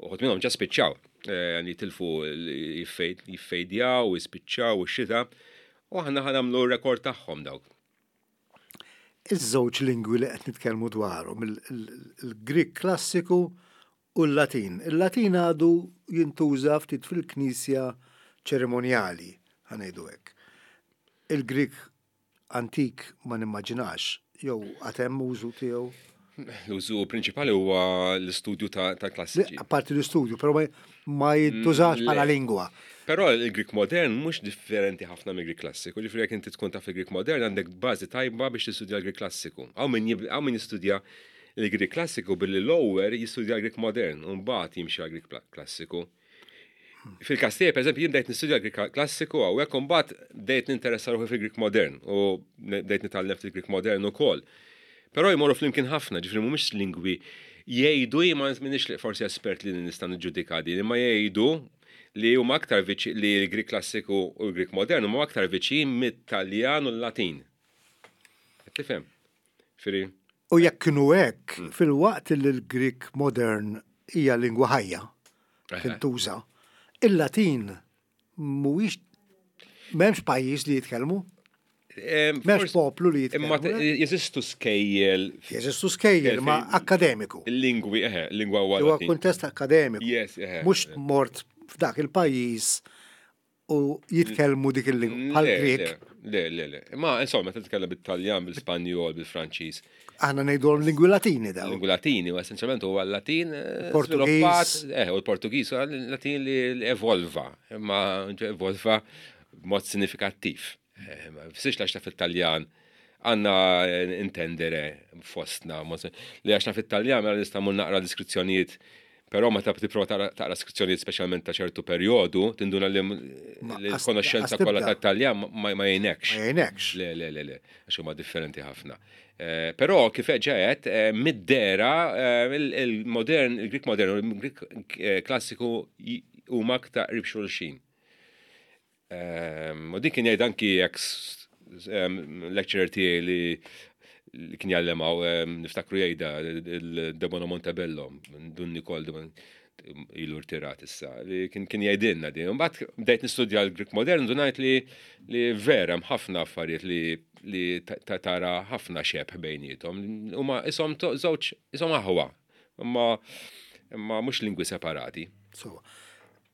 uħud minnhom ġa spiċċaw. Eh, Jitilfu, jiffejdjaw, jispiċċaw u x-xita, u aħna ħa nagħmlu rekord tagħhom dawk. Iż-żewġ lingwi li qed nitkellmu dwarhom, il- il- il-Grik klassiku u l-Latin. Il-Latin għadu jintuża ftit fil-Knisja ċerimonjali, ħa ngħidu hekk. Il-Grik antik ma nimmaġinax Jew għad hemm użu tiegħu? L-użu prinċipali huwa l-istudju ta' klassiċi. Apparti l-istudju, però ma jintużax bħala lingwa. Però il-Grik modern mhux differenti ħafna mill-Grik klassiku. Ġifieri jekk inti tkun taf il-Grik modern għandek bażi tajba biex tistudja l-Grik klassiku. Hawn min jistudja l-Grik klassiku billi l-ewwel jistudja l-Grik modern u mbagħad jimxi għall-Grik klassiku. Fil-każ tiegħi, pereżempju, jien bdejt nistudja l-Grik klassiku hawnhekk u mbagħad bdejt ninteressa ruħi fil-Grik modern u bdejt nitgħallem fil-Grik modern ukoll. Però jmorru flimkien ħafna, ġifieri mhumiex lingwi jgħidu, ma minix forsi espert li nista' niġġudika din, imma jgħidu li huma aktar viċin li l-Grik klassiku u l-Grik modern huma aktar viċin mit-Taljan u l-Latin. Qed tifhem? Ġifieri. U jekk kienu hekk, fil-waqt li l-Grik modern hija lingwa ħajja tintuża, il-Latin mhuwiex m'hemmx pajjiż li jitkellmu. M'hemmx poplu li jitkellmu. Imma jeżistu skejjel. Jeżistu skejjel, ma akademiku. Il-lingwi, eħe, lingwa huwa. Huwa kuntest akademiku. Yes, eħe. Mhux mort f'dak il-pajjiż u jitkellmu dik il-lingwa bħal Grek. Le, le, le. Ma insomma, meta titkellem bit-Taljan, bil-Spanjol, bil-Franċiż. Aħna ngħidulhom lingwi Latini dawn. Lingwi Latini, u essenzjalment huwa l-Latin Portugiż. Eh, u l-Portugiż huwa l-Latin li evolva, imma evolva b'mod sinifikattiv. Ma fissirx għax taf it-Taljan għandna intendere fostna, li għax taf it-Taljan mela nista' mmur naqra deskrizzjonijiet, però meta tipprova taqra deskrizzjonijiet speċjalment ta' ċertu perjodu, tinduna li l-konoxxenza kollha tat-Taljan ma jgħinekx. Ma jgħinekx. Le, le, le, le, għax huma differenti ħafna. Però kif ġejet, mid-dera il-modern, il-Grik modern u l-Grik klassiku huma aktar qrib xulxin. U din kien jgħid anki ex lecturer tiegħi li kien jgħallem niftakru jgħidha il-Debono Montebello, Dun Nikol ilu rtirat issa, li kien jgħidilna din. Mbagħad bdejt nistudja l-Grik modern, dunajt li vera hemm ħafna affarijiet li tara ħafna xebh bejniethom. Huma ishom żewġ ishom aħwa, imma mhux lingwi separati. So,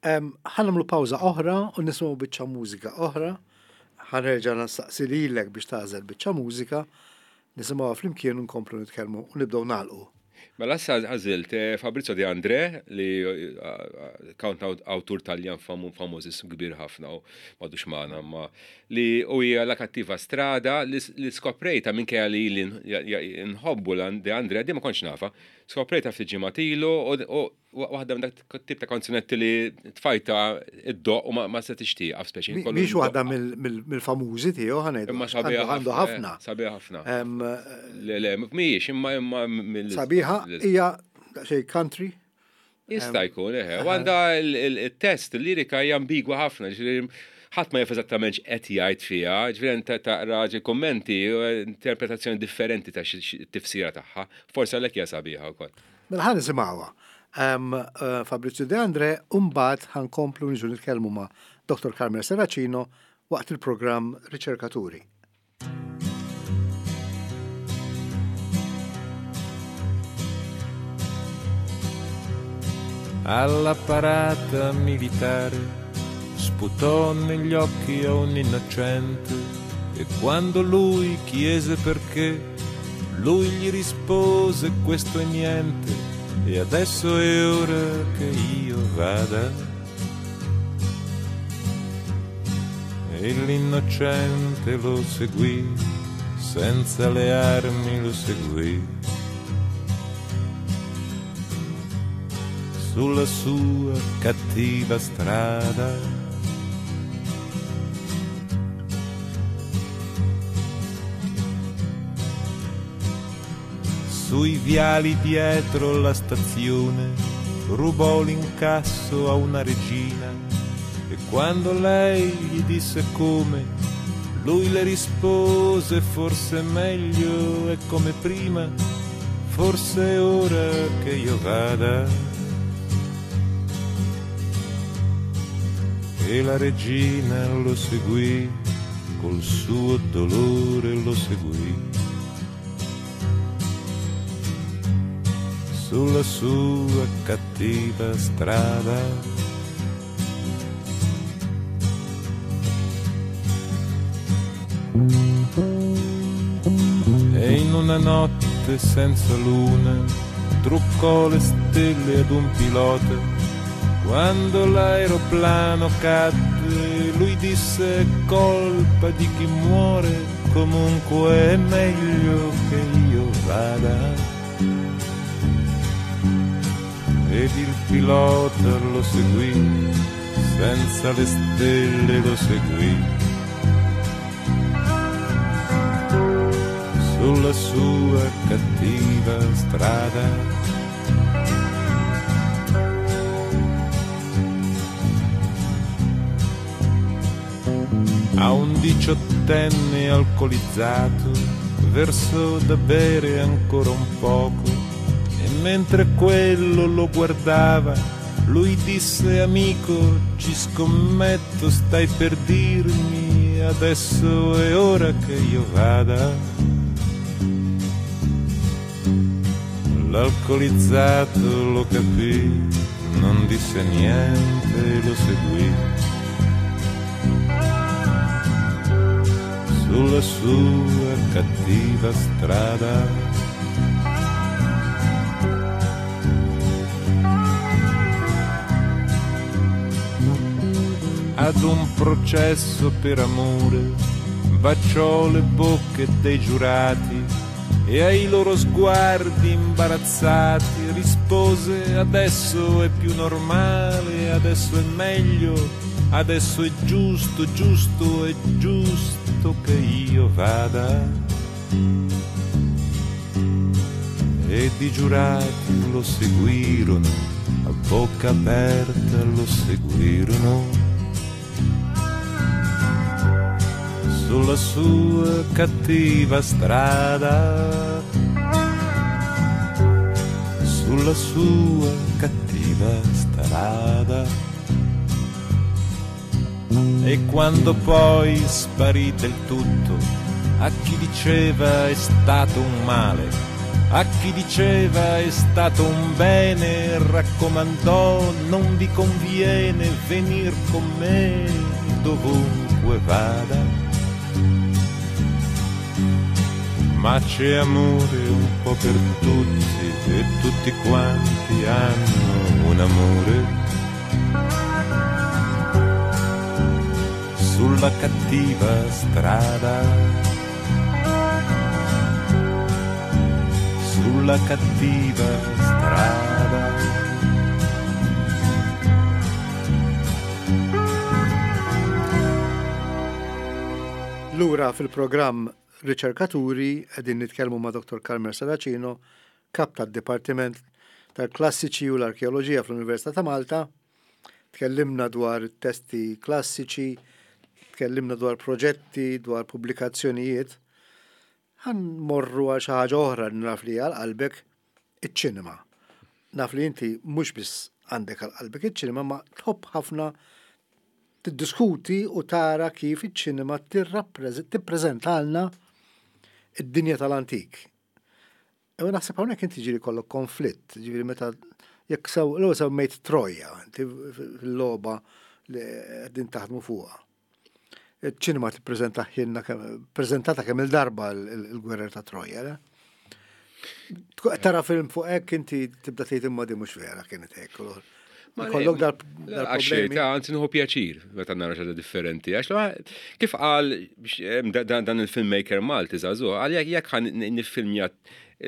ħa nagħmlu pawża oħra u nisimgħu biċċa mużika oħra. Ħa nerġa' nistaqsi lilek biex tagħżel biċċa mużika, nisimgħuha flimkien u nkomplu nitkellmu u nibdew nagħlqu. Mela issa għażilt Fabrizio De André li kant awtur Taljan famuż kbir ħafna u m'għadux magħna, imma li u hija La Cattiva Strada li skoprejta minkejja li nħobbu De André, di ma kontx nafa, skoprejta ftit ġimgħat ilu u waħda minn dak tip ta' kanzunetti li tfajta id-doq u ma se tixtieq speċi. Mhix waħda mill-famużi tiegħu ħa ngħidu. Imma sabiħa għandu ħafna. Sabiħa ħafna. Le, le, mhijiex imma imma sabiħa hija xejn country. Jista' jkun, eħe. U għandha il-test, il-lirika hija ambigwa ħafna, ħadd ma jaf eżattament x'qed jgħid fiha, ġifieri taqra kummenti u interpretazzjoni differenti ta' tifsira tagħha. Forsi għalhekk hija sabiħa wkoll. Mela ħa nisimgħuha. Fabrizio De André, u mbagħad ħa nkomplu niġu nitkellmu ma' Dottor Carmel Serracino waqt il-programm Riċerkaturi. Alla parata militare sputò negli occhi a un innocente e quando lui chiese perché, lui gli rispose questo è niente e adesso è ora che io vada. E l'innocente lo seguì, senza le armi lo seguì, sulla sua cattiva strada. Sui viali dietro la stazione rubò l'incasso a una regina e quando lei gli disse come, lui le rispose forse meglio è come prima, forse è ora che io vada. E la regina lo seguì, col suo dolore lo seguì, sulla sua cattiva strada. E in una notte senza luna truccò le stelle ad un pilota. Quando l'aeroplano cadde, lui disse: colpa di chi muore, comunque è meglio che io vada. Ed il pilota lo seguì, senza le stelle lo seguì, sulla sua cattiva strada. A un diciottenne alcolizzato versò da bere ancora un poco, e mentre quello lo guardava, lui disse: amico, ci scommetto, stai per dirmi adesso è ora che io vada. L'alcolizzato lo capì, non disse niente e lo seguì sulla sua cattiva strada. Ad un processo per amore baciò le bocche dei giurati e ai loro sguardi imbarazzati rispose: adesso è più normale, adesso è meglio, adesso è giusto, giusto, è giusto che io vada. Ed i giurati lo seguirono, a bocca aperta lo seguirono sulla sua cattiva strada, sulla sua cattiva strada. E quando poi sparì del tutto, a chi diceva è stato un male, a chi diceva è stato un bene, raccomandò: non vi conviene venir con me dovunque vada. Ma c'è amore un po' per tutti e tutti quanti hanno un amore sulla cattiva strada, sulla cattiva strada. Lura fil-programm Riċerkaturi qegħdin nitkellmu ma' Dottor Carmel Serracino, kap tad-Dipartiment tal-Klassiċi u l-Arkeoloġija fl-Università ta' Malta. Tkellimna dwar testi klassiċi, tkellimna dwar proġetti, dwar pubblikazzjonijiet. Ħa mmorru għal xi ħaġa oħra li naf li għal qalbek, iċ-ċinema. Naf li inti mhux biss għandek għal qalbek iċ-ċinema, ma tħobb ħafna tiddiskuti u tara kif iċ-ċinema tippreżentalna id-dinja tal-antik. U naħseb hawnhekk inti ġieli kollok konflitt, ġifieri meta jekk sew l semmejt Troja, inti fil-logħba li qegħdin taħdmu fuqha. Iċ-ċinema tippreżenta ħinna preżentata kemm il-darba il-gwerra ta' Troja, le? Tara film fuq hekk inti tibda tgħid imma di mhux vera kienet hekk. Kollok dal-problemi. Anzi nieħu pjaċir meta nara xi ħaġa differenti. Għax kif qal dan il-filmmaker Malti żagħżugħ, qal jekk ħa niffilmja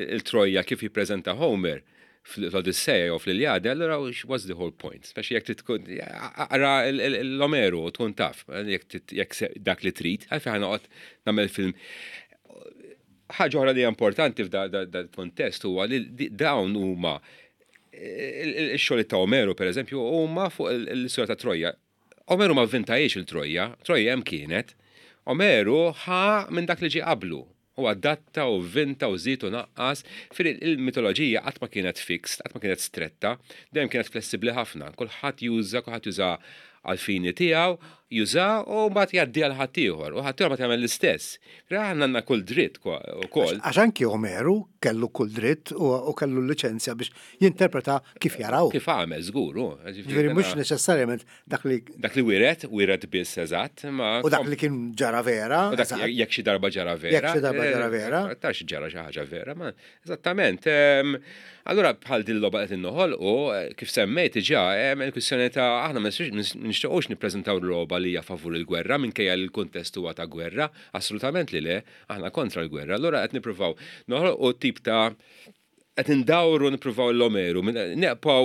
il-Troja kif jippreżenta Homer fl-Odissea u fl-Iliade, allura what's the whole point? Speċi jekk tkun aqra l-Omeru u tkun taf, jekk dak li trid, għalfejn ħa noqgħod nagħmel film. Ħaġa oħra li hija importanti f'da kontest huwa li dawn huma il-xogħol ta' Omeru, per eżempju, huma fuq l-istorja ta' Troja. Omeru ma vvintajiex il-Troja, Troja hemm kienet. Omeru ħa minn dak li ġie qablu. U adatta u vvinta u żied u naqqas. Fil il-mitoloġija qatt ma kienet fixed, qatt ma kienet stretta, dejjem kienet flessibbli ħafna. Kulħadd juża, kulħadd juża għal-fini tiegħu. Juża u mbagħad jgħaddi għal ħaddieħor u ħaddieħor mbagħad jagħmel l-istess. Aħna għandna kull dritt ukoll. Għax anki Omeru kellu kull dritt u kellu l-liċenzja biex jinterpreta kif jaraw. Kif għamel, żgur. Ġifieri mhux neċessarjament dak li. Dak li wiret, wiret biss eżatt. U dak li kien ġara vera. U dak jekk xi darba ġara vera. Jekk xi darba ġara vera. Tax ġara xi ħaġa vera, ma eżattament. Allura bħal din logħba qed innoħolqu, kif semmejt diġà, hemm il-kwistjoni ta' aħna ma nixtiequx nippreżentaw logħba li hija favur il-gwerra minkejja li l-kuntest huwa ta' gwerra, assolutament li le, aħna kontra l-gwerra. Allura qed nippruvaw noħolqu tip ta' qed indawru nippruvaw l-Omeru, neqpaw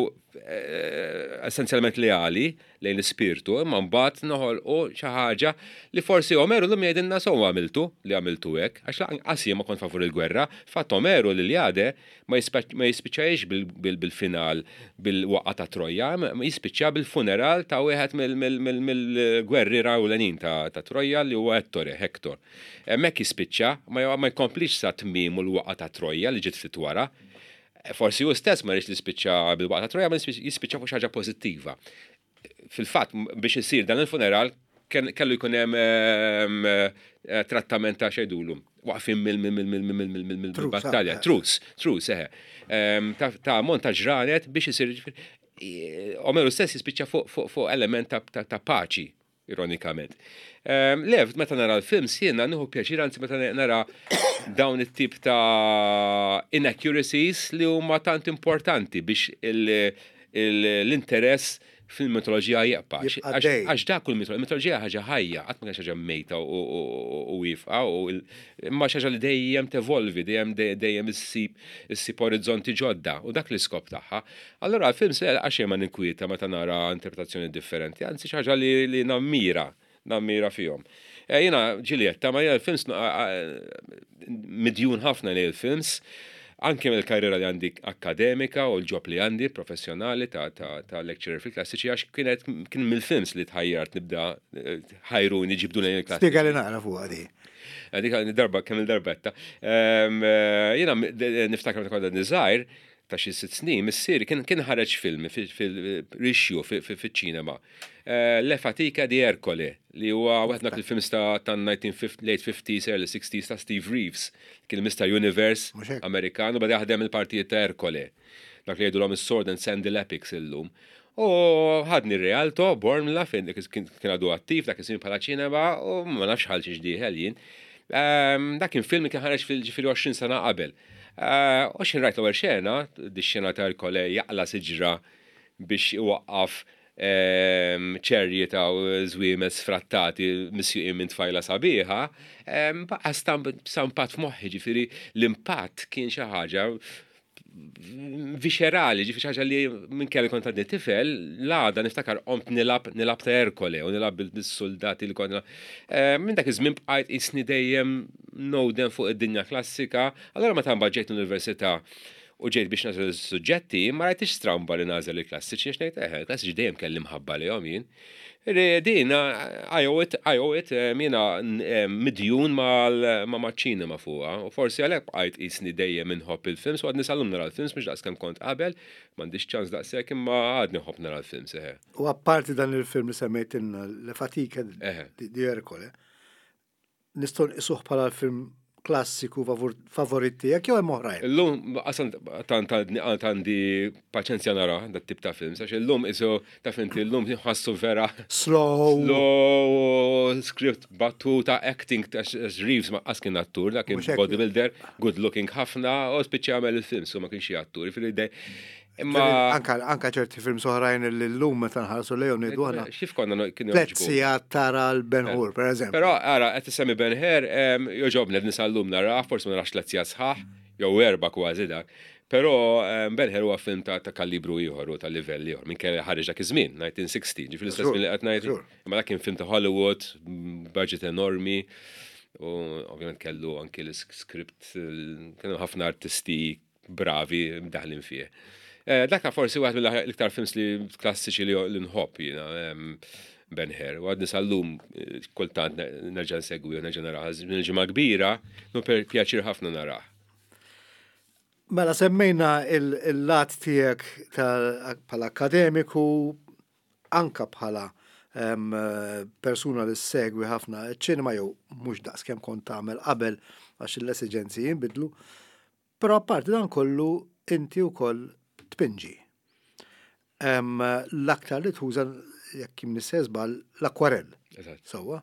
essenzjalment leali lejn l-ispirtu, imma mbagħad noħolqu xi ħaġa li forsi Omeru llum jgħidilna sew għamiltu li għamiltu hekk, għax lanqas jien ma kont favur il-gwerra, fatt Omeru l-Iljade ma jispiċċajx bil-final bil-waqgħa ta' Troja, ma jispiċċa bil-funeral ta' wieħed mill-gwerri rawlenin ta' Troja li huwa Ettore, Hector. Hemmhekk jispiċċa, ma jkomplix sa tmiem u l-waqgħa ta' Troja li ġiet ftit wara. Forsi hu stess ma rridx li jispiċċa bil-waqgħa ta' Troja, ma jispiċċa fuq xi ħaġa pożittiva. Fil-fatt, biex isir dan il-funeral, kellu jkun hemm trattament ta' xejdulu. Waqfin mill-battalja. Truce, truce, eħe. Ta' ammont ta' ġranet biex isir. Omeru stess jispiċċa fuq element ta' paċi, ironikament. Lev, meta nara l-films, jiena nieħu pjaċir, anzi meta nara dawn it-tip ta' inaccuracies li huma tant importanti biex l-interess fil-mitoloġija jibqa'. Għax dak kull mitoloġija ħaġa ħajja, qatt ma kienx ħaġa mejta u wieqfa, imma xi ħaġa li dejjem tevolvi, dejjem dejjem issib issib orizzonti ġodda u dak l-iskop tagħha. Allura l-film se għax ma ninkwieta meta nara interpretazzjoni differenti, anzi xi ħaġa li nammira, nammira fihom. Jiena Ġulietta, ma jiena l-films midjun ħafna li l-films, anke mill-karriera li għandi akademika u l-job li għandi professjonali ta', ta, ta' lecturer fil-klassiċi, għax kienet kien mill-films li tħajjart nibda ħajruni ġibdu lejn il-klassiċi. Spjega li naqra fuq għadi. Dik darba kemm il-darbetta. Jiena niftakar meta kont għadni żgħir ta' xi sitt snin, missieri kien kien ħareġ film fil-rixju fiċ-ċinema. Le Fatica di Ercole, li huwa waħed dak il-films ta' late fifties, early sixties ta' Steve Reeves, kien Mister Universe Amerikan, u bada jaħdem il-partijiet ta' Ercole. Dak li jgħidulhom is-Sword and Sandal Epics illum. U ħadni Rialto, Bormla, fejn kien għadu attiv, dak iż-żmien bħala ċinema, u ma nafx ħal xiex dieħel jien. Dak kien film li kien ħareġ fil-ġifieri għoxrin sena qabel. U x'ħin rajt l-ewwel xena, di xena ta' Ercole jaqla siġra biex iwaqqaf ċerji ta' żwiemes sfrattati misjuqin minn tfajla sabiħa, baqa' stampat f'moħħi, ġifieri l-impatt kien xi ħaġa viscerali, ġifieri xi ħaġa li minn kelli kont għadni tifel, l-għada niftakar qomt nilab, nilab ta' Ercole u nilab bil-soldati li kont. Minn dak iż-żmien bqajt isni dejjem nowden fuq id-dinja klassika. Allora meta mbagħad ġejt l-università u ġejt biex nagħżel is-suġġetti, ma rajtix stramba li nagħżel il-klassiċi, għax ngħid eħe, il-klassiċi dejjem kelli mħabba lihom jien. Din, I owe it, I owe it, jiena midjun ma' ċinema fuqha, u forsi għalhekk bqajt qisni dejjem inħobb il-films, u għadni sal-lum nara l-films, mhux daqs kemm kont qabel, m'għandix ċans daqshekk, imma għadni nħobb nara l-films, eħe. U apparti dan il-film li semmejt Le Fatica di Ercole, nistgħu nqisuh bħala l-film klassiku favorit tiegħek jew hemm oħrajn? Illum qasam tant għandi paċenzja nara dat tip ta' films, għax illum isu taf inti illum nħassu vera slow, slow script, battuta, acting, għax Reeves ma qas kien attur, dak kien bodybuilder, good looking ħafna, u spiċċa jagħmel il-films u ma kienx attur, jiġifieri dej. Imma anka, anka ċerti films oħrajn li llum meta nħarsu lejhom ngħidu aħna. Xif konna no, kienu Tliet jogħġbu. sigħat tara l-Ben Hur, per eżempju. Però ara qed tissemmi Ben Hur, jogħġobni qed nisallum narah, forsi ma narax tliet sigħat sħaħ, jew erba' kważi dak. Però Ben Hur huwa film ta', ta' kalibru ieħor u ta' livell ieħor, minn kelli ħareġ dak iż-żmien, nineteen sixty, ġifieri l-istess żmien li qed ngħid. Imma dak kien film ta' Hollywood, budget enormi, u ovvjament kellu anki l-script, kienu ħafna artisti bravi mdaħlin fih. Dak forsi waħed mill-iktar films li klassiċi li nħobb jiena, Ben Hur. U għadni sal-lum kultant nerġa' nsegwi u nerġa' narah. Minn ġimgħa kbira, nu pjaċir ħafna narah. Mela semmejna il-lat tiegħek bħala akademiku, anka bħala Persuna li segwi ħafna ċinema jew mhux daqs kemm kont tagħmel qabel għax l-esiġenzi jinbidlu. Però apparti dan kollu inti wkoll tpinġi. L-aktar li tuża, jekk m'iniex żball, l-akwarell. Sewwa.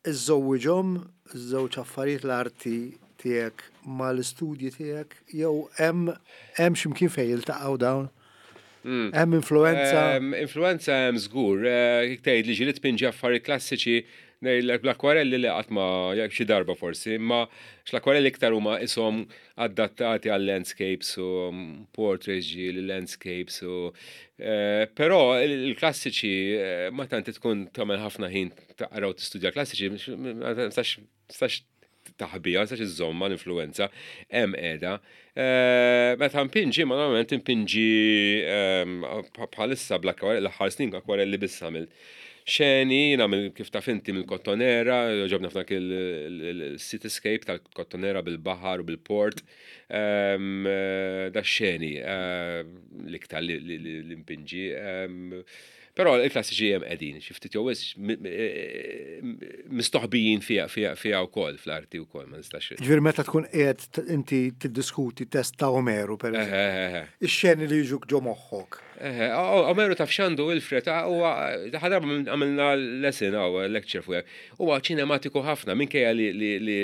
Iżżewwiġhom żewġ affarijiet, l-arti tiegħek mal-istudji tiegħek, jew hemm hemm x'imkien fejn jiltaqgħu dawn? Hmm. Hemm influenza? Influenza hemm żgur. Eh, tgħid li ġieli tpinġi affarijiet klassiċi, ngħidlek bl-akwarelli li qatt ma, jekk xi darba forsi, imma l-akwarelli iktar huma ishom adattati għal landscapes u portraits ġieli, landscapes u eh, però il-klassiċi eh, ma tant tkun tagħmel ħafna ħin taqra u tistudja klassiċi, ma tistax taħbija, tistax iżżomma l-influenza, hemm qiegħda. Eh, meta mpinġi, ma normalment impinġi ehm, bħalissa bl-akwarelli, l-aħħar snin akwarelli biss għamilt. Xeni, nagħmel, kif taf inti, mill-Kottonera, ġobna f'dak il-cityscape tal-Kottonera bil-baħar u bil-port. Ehm, eh, da xeni eh, l-iktar li mpinġi. Ehm, però il-klassiċi hemm qegħdin, xi ftit jew mistoħbijin fija fija fija wkoll fl-arti wkoll, ma nistax. Ġifieri meta tkun qiegħed inti tiddiskuti test ta' Omeru, per eżempju. Ix-xeni li jiġuk ġo moħħok. Omeru taf x'għandu, Wilfred, huwa ħadarba għamilna lesson għaw lecture fuq. Huwa ċinematiku ħafna minkejja li li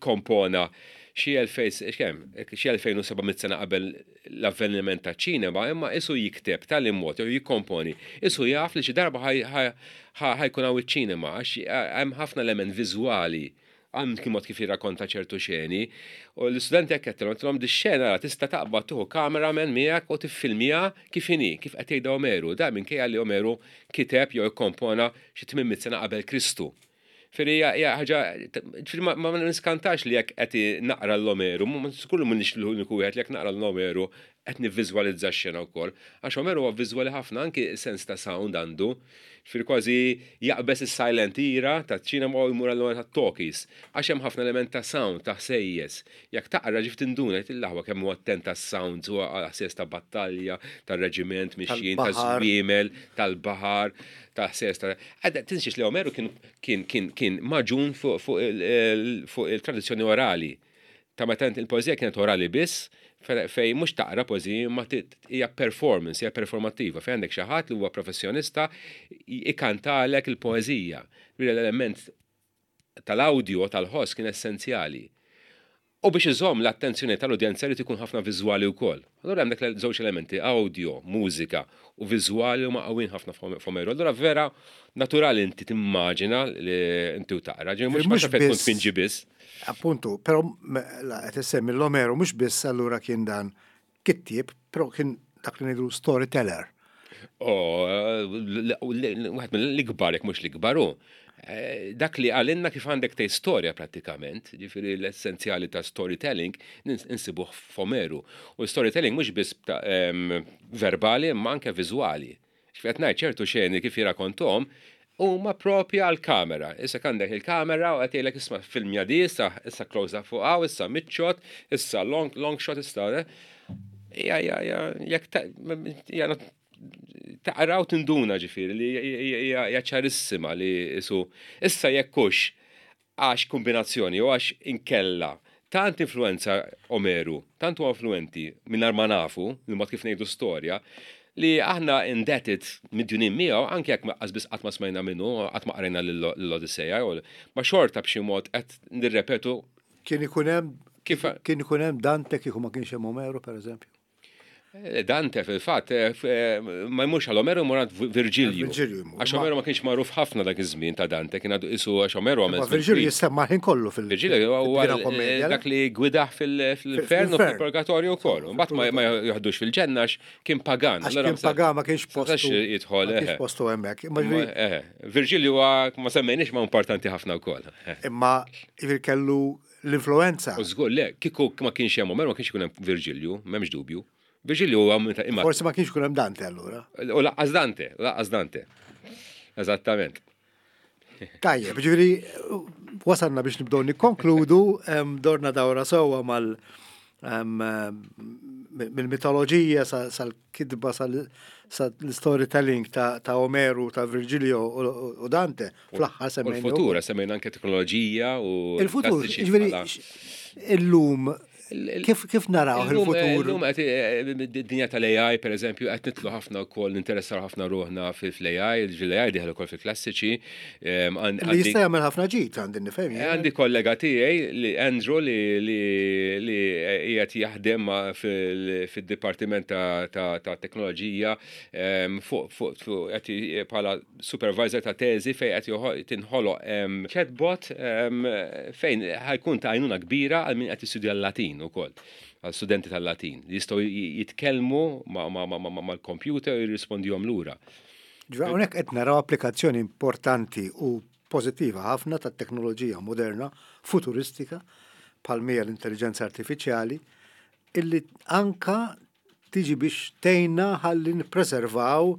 kompona xi elfejn, kemm, xi elfejn u seba' mitt sena qabel l-avveniment ta' ċinema, imma isu jikteb tal-immod, jew jikkomponi, isu jaf li xi darba ħa jkun hawn iċ-ċinema, għax hemm ħafna element viżwali għam kien mod kif jirrakkonta ċertu xeni, u l-istudenti jekk għedtilhom di xena tista' taqbad tieħu cameraman miegħek u tiffilmija kif inhi, kif qed jgħidha Omeru, da minkejja li Omeru kiteb jew ikkompona xi tmien mitt sena qabel Kristu. Firri hija ħaġa, ma ma niskantax li jekk qed naqra l-Omeru, skullu m'iniex l-uniku wieħed li jekk naqra l-Omeru qed nivviżwalizza x-xena wkoll. Għax Omeru huwa viżwali ħafna, anki sens ta' sound għandu. Fir kważi jaqbeż is-silent era ta' ċinema u jmur għall ta' talkies. Għax hemm ħafna element ta' sound, ta' ħsejjes. Jekk taqra ġif tinduna il-laħwa kemm huwa attent ta' sounds, huwa ħsejjes ta' battalja, tar-reġiment mixjin, ta' żwiemel, tal-baħar, ta' ħsejjes ta' Tinsiex li Omeru kien kien kien kien magħġun fuq il-tradizzjoni orali. Ta' meta il-poeżija kienet orali biss, fej mhux taqra poeżija ma hija performance, hija performattiva, fej għandek xi ħadd li huwa professjonista ikantalek il-poeżija. L-element tal-audio tal-ħoss kien essenzjali. U biex iżomm l-attenzjoni tal-udjenza li ikun ħafna viżwali wkoll. Allura hemm dak żewġ elementi, audio, mużika u viżwali, huma qawwin ħafna f'Omeru. Allura vera naturali inti timmaġina li inti u taqra, ġifieri mhux mhux tkun tpinġi biss. Appuntu, però qed issemmi l-Omeru, mhux biss allura kien dan kittieb, però kien dak li ngħidu storyteller. Oh, wieħed mill-ikbar, jekk mhux l-ikbar hu. Eh, dak li għallimna kif għandek tgħid storja prattikament, ġifieri l-essenzjali ta' storytelling insibuh f'Omeru. U storytelling mhux biss verbali, imma anke viżwali. X'qed ngħid, ċertu xeni kif jirrakkontom huma propja għal-kamera. Issa għandek il-kamera u qed jgħidlek, "Isma', filmja di, issa issa close up fuq hawn, issa mid shot, issa long, long shot, issa." Eh. Ja, ja, ja, jekk taqra u tinduna ġifieri li hija ċarissima li isu issa jekkux għax kombinazzjoni u għax inkella tant influenza Omeru, tant huwa influenti mingħajr ma nafu, il-mod kif ngħidu storja, li aħna indebted, midjunin miegħu, anke jekk biss qatt ma smajna minnu, qatt ma qrajna l-Odisseja, ma xorta b'xi mod qed nirrepetu. Kien ikun hemm kif kien ikun hemm Dante kieku ma kienx hemm Omeru, pereżempju? Eh, Dante fil-fatt eh, eh, ma jmurx għal Omeru, jmur għand Virgilju. Għax Omeru ma kienx magħruf ħafna dak iż-żmien ta' Dante, kien għadu isu għax Omeru għamel. Virgilju jissemma ħin kollu fil- Virgilju huwa dak li gwidah fil-infernu, fil-purgatorju wkoll. Mbagħad ma joħdux fil-ġenna kien pagan. Għax kien pagan, ma kienx postu. Jidħol. Kienx postu hemmhekk. Virgilju ma semmejniex, ma importanti ħafna wkoll. Imma kellu l-influenza. U żgur le, kieku ma kienx hemm Omeru, ma kienx ikun hemm Virgilju, m'hemmx dubju. Virgilju huwa imma. Forsi ma kienx ikun hemm Dante allura. U lanqas Dante, lanqas Dante. Eżattament. Tajjeb, ġifieri wasalna biex nibdew nikkonkludu, dorna dawra sewwa mal Mill-mitoloġija sal-kitba, sal-storytelling ta' Omeru, ta' Virgilio u Dante, fl-aħħar semmejna. Il-futur, semmejna anke teknoloġija u. Il-futur, ġifieri, illum Kif, kif naraw il-futur? Illum id-dinja tal-A I, per eżempju, qed nidħlu ħafna wkoll, ninteressaw ħafna ruħna fil-A I, l-A I dieħel ukoll fil-klassiċi. Li jista' jagħmel ħafna ġid, għandi nifhem. Għandi kollega tiegħi li Andrew li li qiegħed jaħdem fid-dipartiment ta' teknoloġija fuq qed bħala supervisor ta' teżi fejn qed tinħoloq chatbot fejn ħa jkun ta' għajnuna kbira għal min qed jistudja l-Latin ukoll, għal studenti tal-Latin li jistgħu jitkellmu mal-computer u jirrispondihom lura. Ġifieri hawnhekk qed naraw applikazzjoni importanti u pożittiva ħafna tat-teknoloġija moderna, futuristika, bħal l-intelligenza artifiċjali, illi anka tiġi biex tgħinna ħalli nippreservaw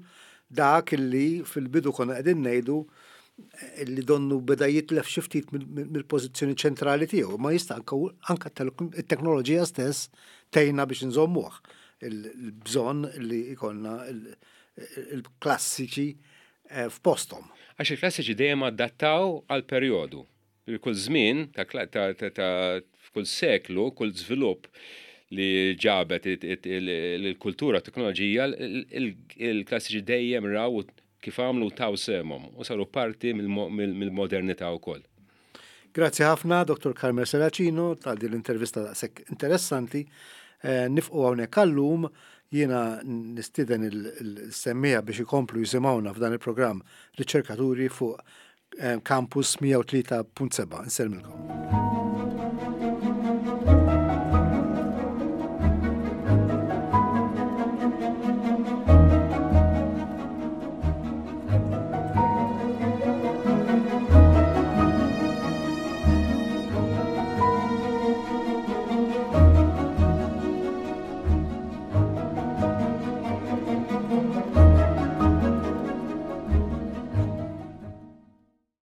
dak illi fil-bidu konna qegħdin ngħidu li donnu beda jitlef xi ftit mill-pożizzjoni ċentrali tiegħu, ma jista' anka t-teknoloġija stess tgħinna biex nżommuh il-bżonn li jkollna il-klassiċi eh, f'posthom. Għax il-klassiċi dejjem adattaw għal perjodu. Kull żmien ta' kull seklu, kull żvilupp li ġabet il-kultura, teknoloġija, il-klassiċi dejjem raw kif għamlu taw sehemhom u saru parti mill-modernità wkoll. Grazzi ħafna, Dottor Carmel Serracino, tal din l-intervista daqshekk interessanti. Eh, nifqu hawnhekk għallum. Jiena nistieden il-semmiegħa biex ikomplu jisimgħuna f'dan il-programm Riċerkaturi fuq eh, Campus mija u tlieta punt sebgħa. Insellmilkom.